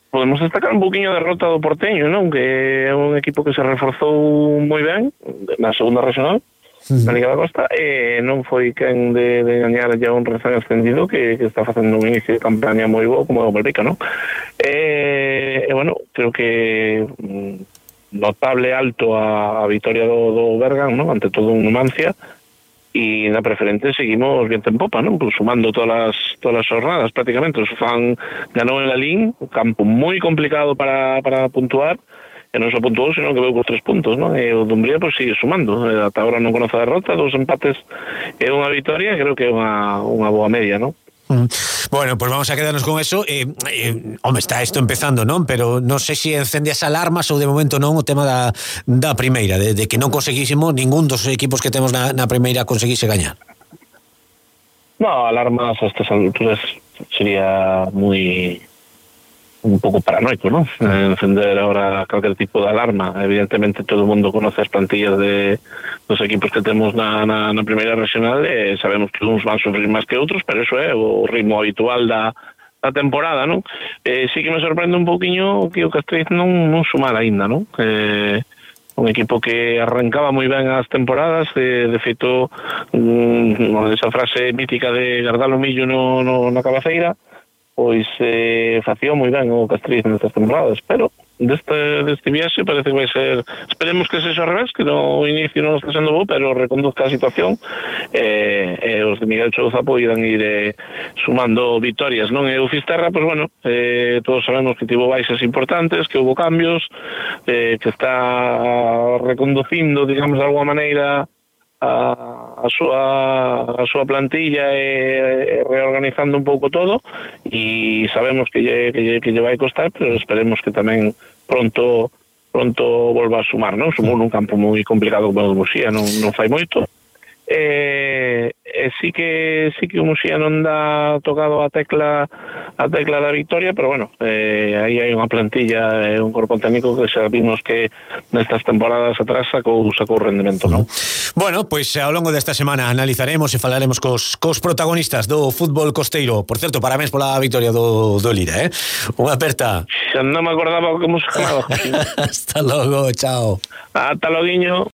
podemos destacar un poquinho a derrota do Porteño, non? Que é un equipo que se reforzou moi ben na segunda regional, na Liga da Costa, e non foi quen de gañar ya un recién ascendido que está facendo un inicio de campaña moi bo como o Malpica, non? E bueno, creo que notable alto a vitória do Bergan, non? Ante todo un Numancia, e na preferente seguimos viento en popa, non? Pues sumando todas as jornadas prácticamente. O Sofán ganou en Lalín, un campo moi complicado para puntuar, e non só puntuou, sino que veu con 3 puntos, non? E o Dumbría pues sigue sumando, ata agora non conoce a derrota, 2 empates e unha victoria, creo que é unha boa media, non? Bueno, pues vamos a quedarnos con eso. Home, está isto empezando, non? Pero non sei se encende as alarmas ou de momento non o tema da primeira, de que non conseguísimo, ningún dos equipos que temos na primeira conseguise gañar. No, alarmas a estas alturas sería moi un pouco paranoico, ¿no? Encender ahora calquer tipo de alarma. Evidentemente todo o mundo conoce as plantillas dos equipos que temos na primeira regional, e sabemos que uns van sufrir máis que outros, pero eso é o ritmo habitual da temporada, ¿no? Sí que me sorprende un pouquiño que o Castriz non sumara aínda, ¿no? Un equipo que arrancaba moi ben as temporadas, de feito, esa frase mítica de Gardalo Millo na cabeceira, pois facía moi ben o Castriz nestas temporadas, pero deste viaxe parece que vai ser, esperemos que sexa ao revés, que no inicio non está sendo bo, pero reconduzca a situación, e os de Miguel Chouza poidan ir sumando victorias, non? E o Fisterra, pois bueno, todos sabemos que tivo baixas importantes, que houve cambios, que está reconducindo, digamos, de alguma maneira a súa plantilla e reorganizando un pouco todo, e sabemos que lle vai costar, pero esperemos que tamén pronto volva a sumar, non? Sumou nun campo moi complicado como o Muxía, non fai moito, sí que o Muxía non dá tocado a tecla da victoria, pero bueno, aí hai unha plantilla e un corpo técnico que xa vimos que nestas temporadas atrás sacou rendemento, non? Bueno, pois ao longo desta semana analizaremos e falaremos cos protagonistas do fútbol costeiro. Por certo, parabéns pola victoria do Lira, Unha aperta. Xa non me acordaba como se chamaba. Hasta logo, chao. Ata loguiño.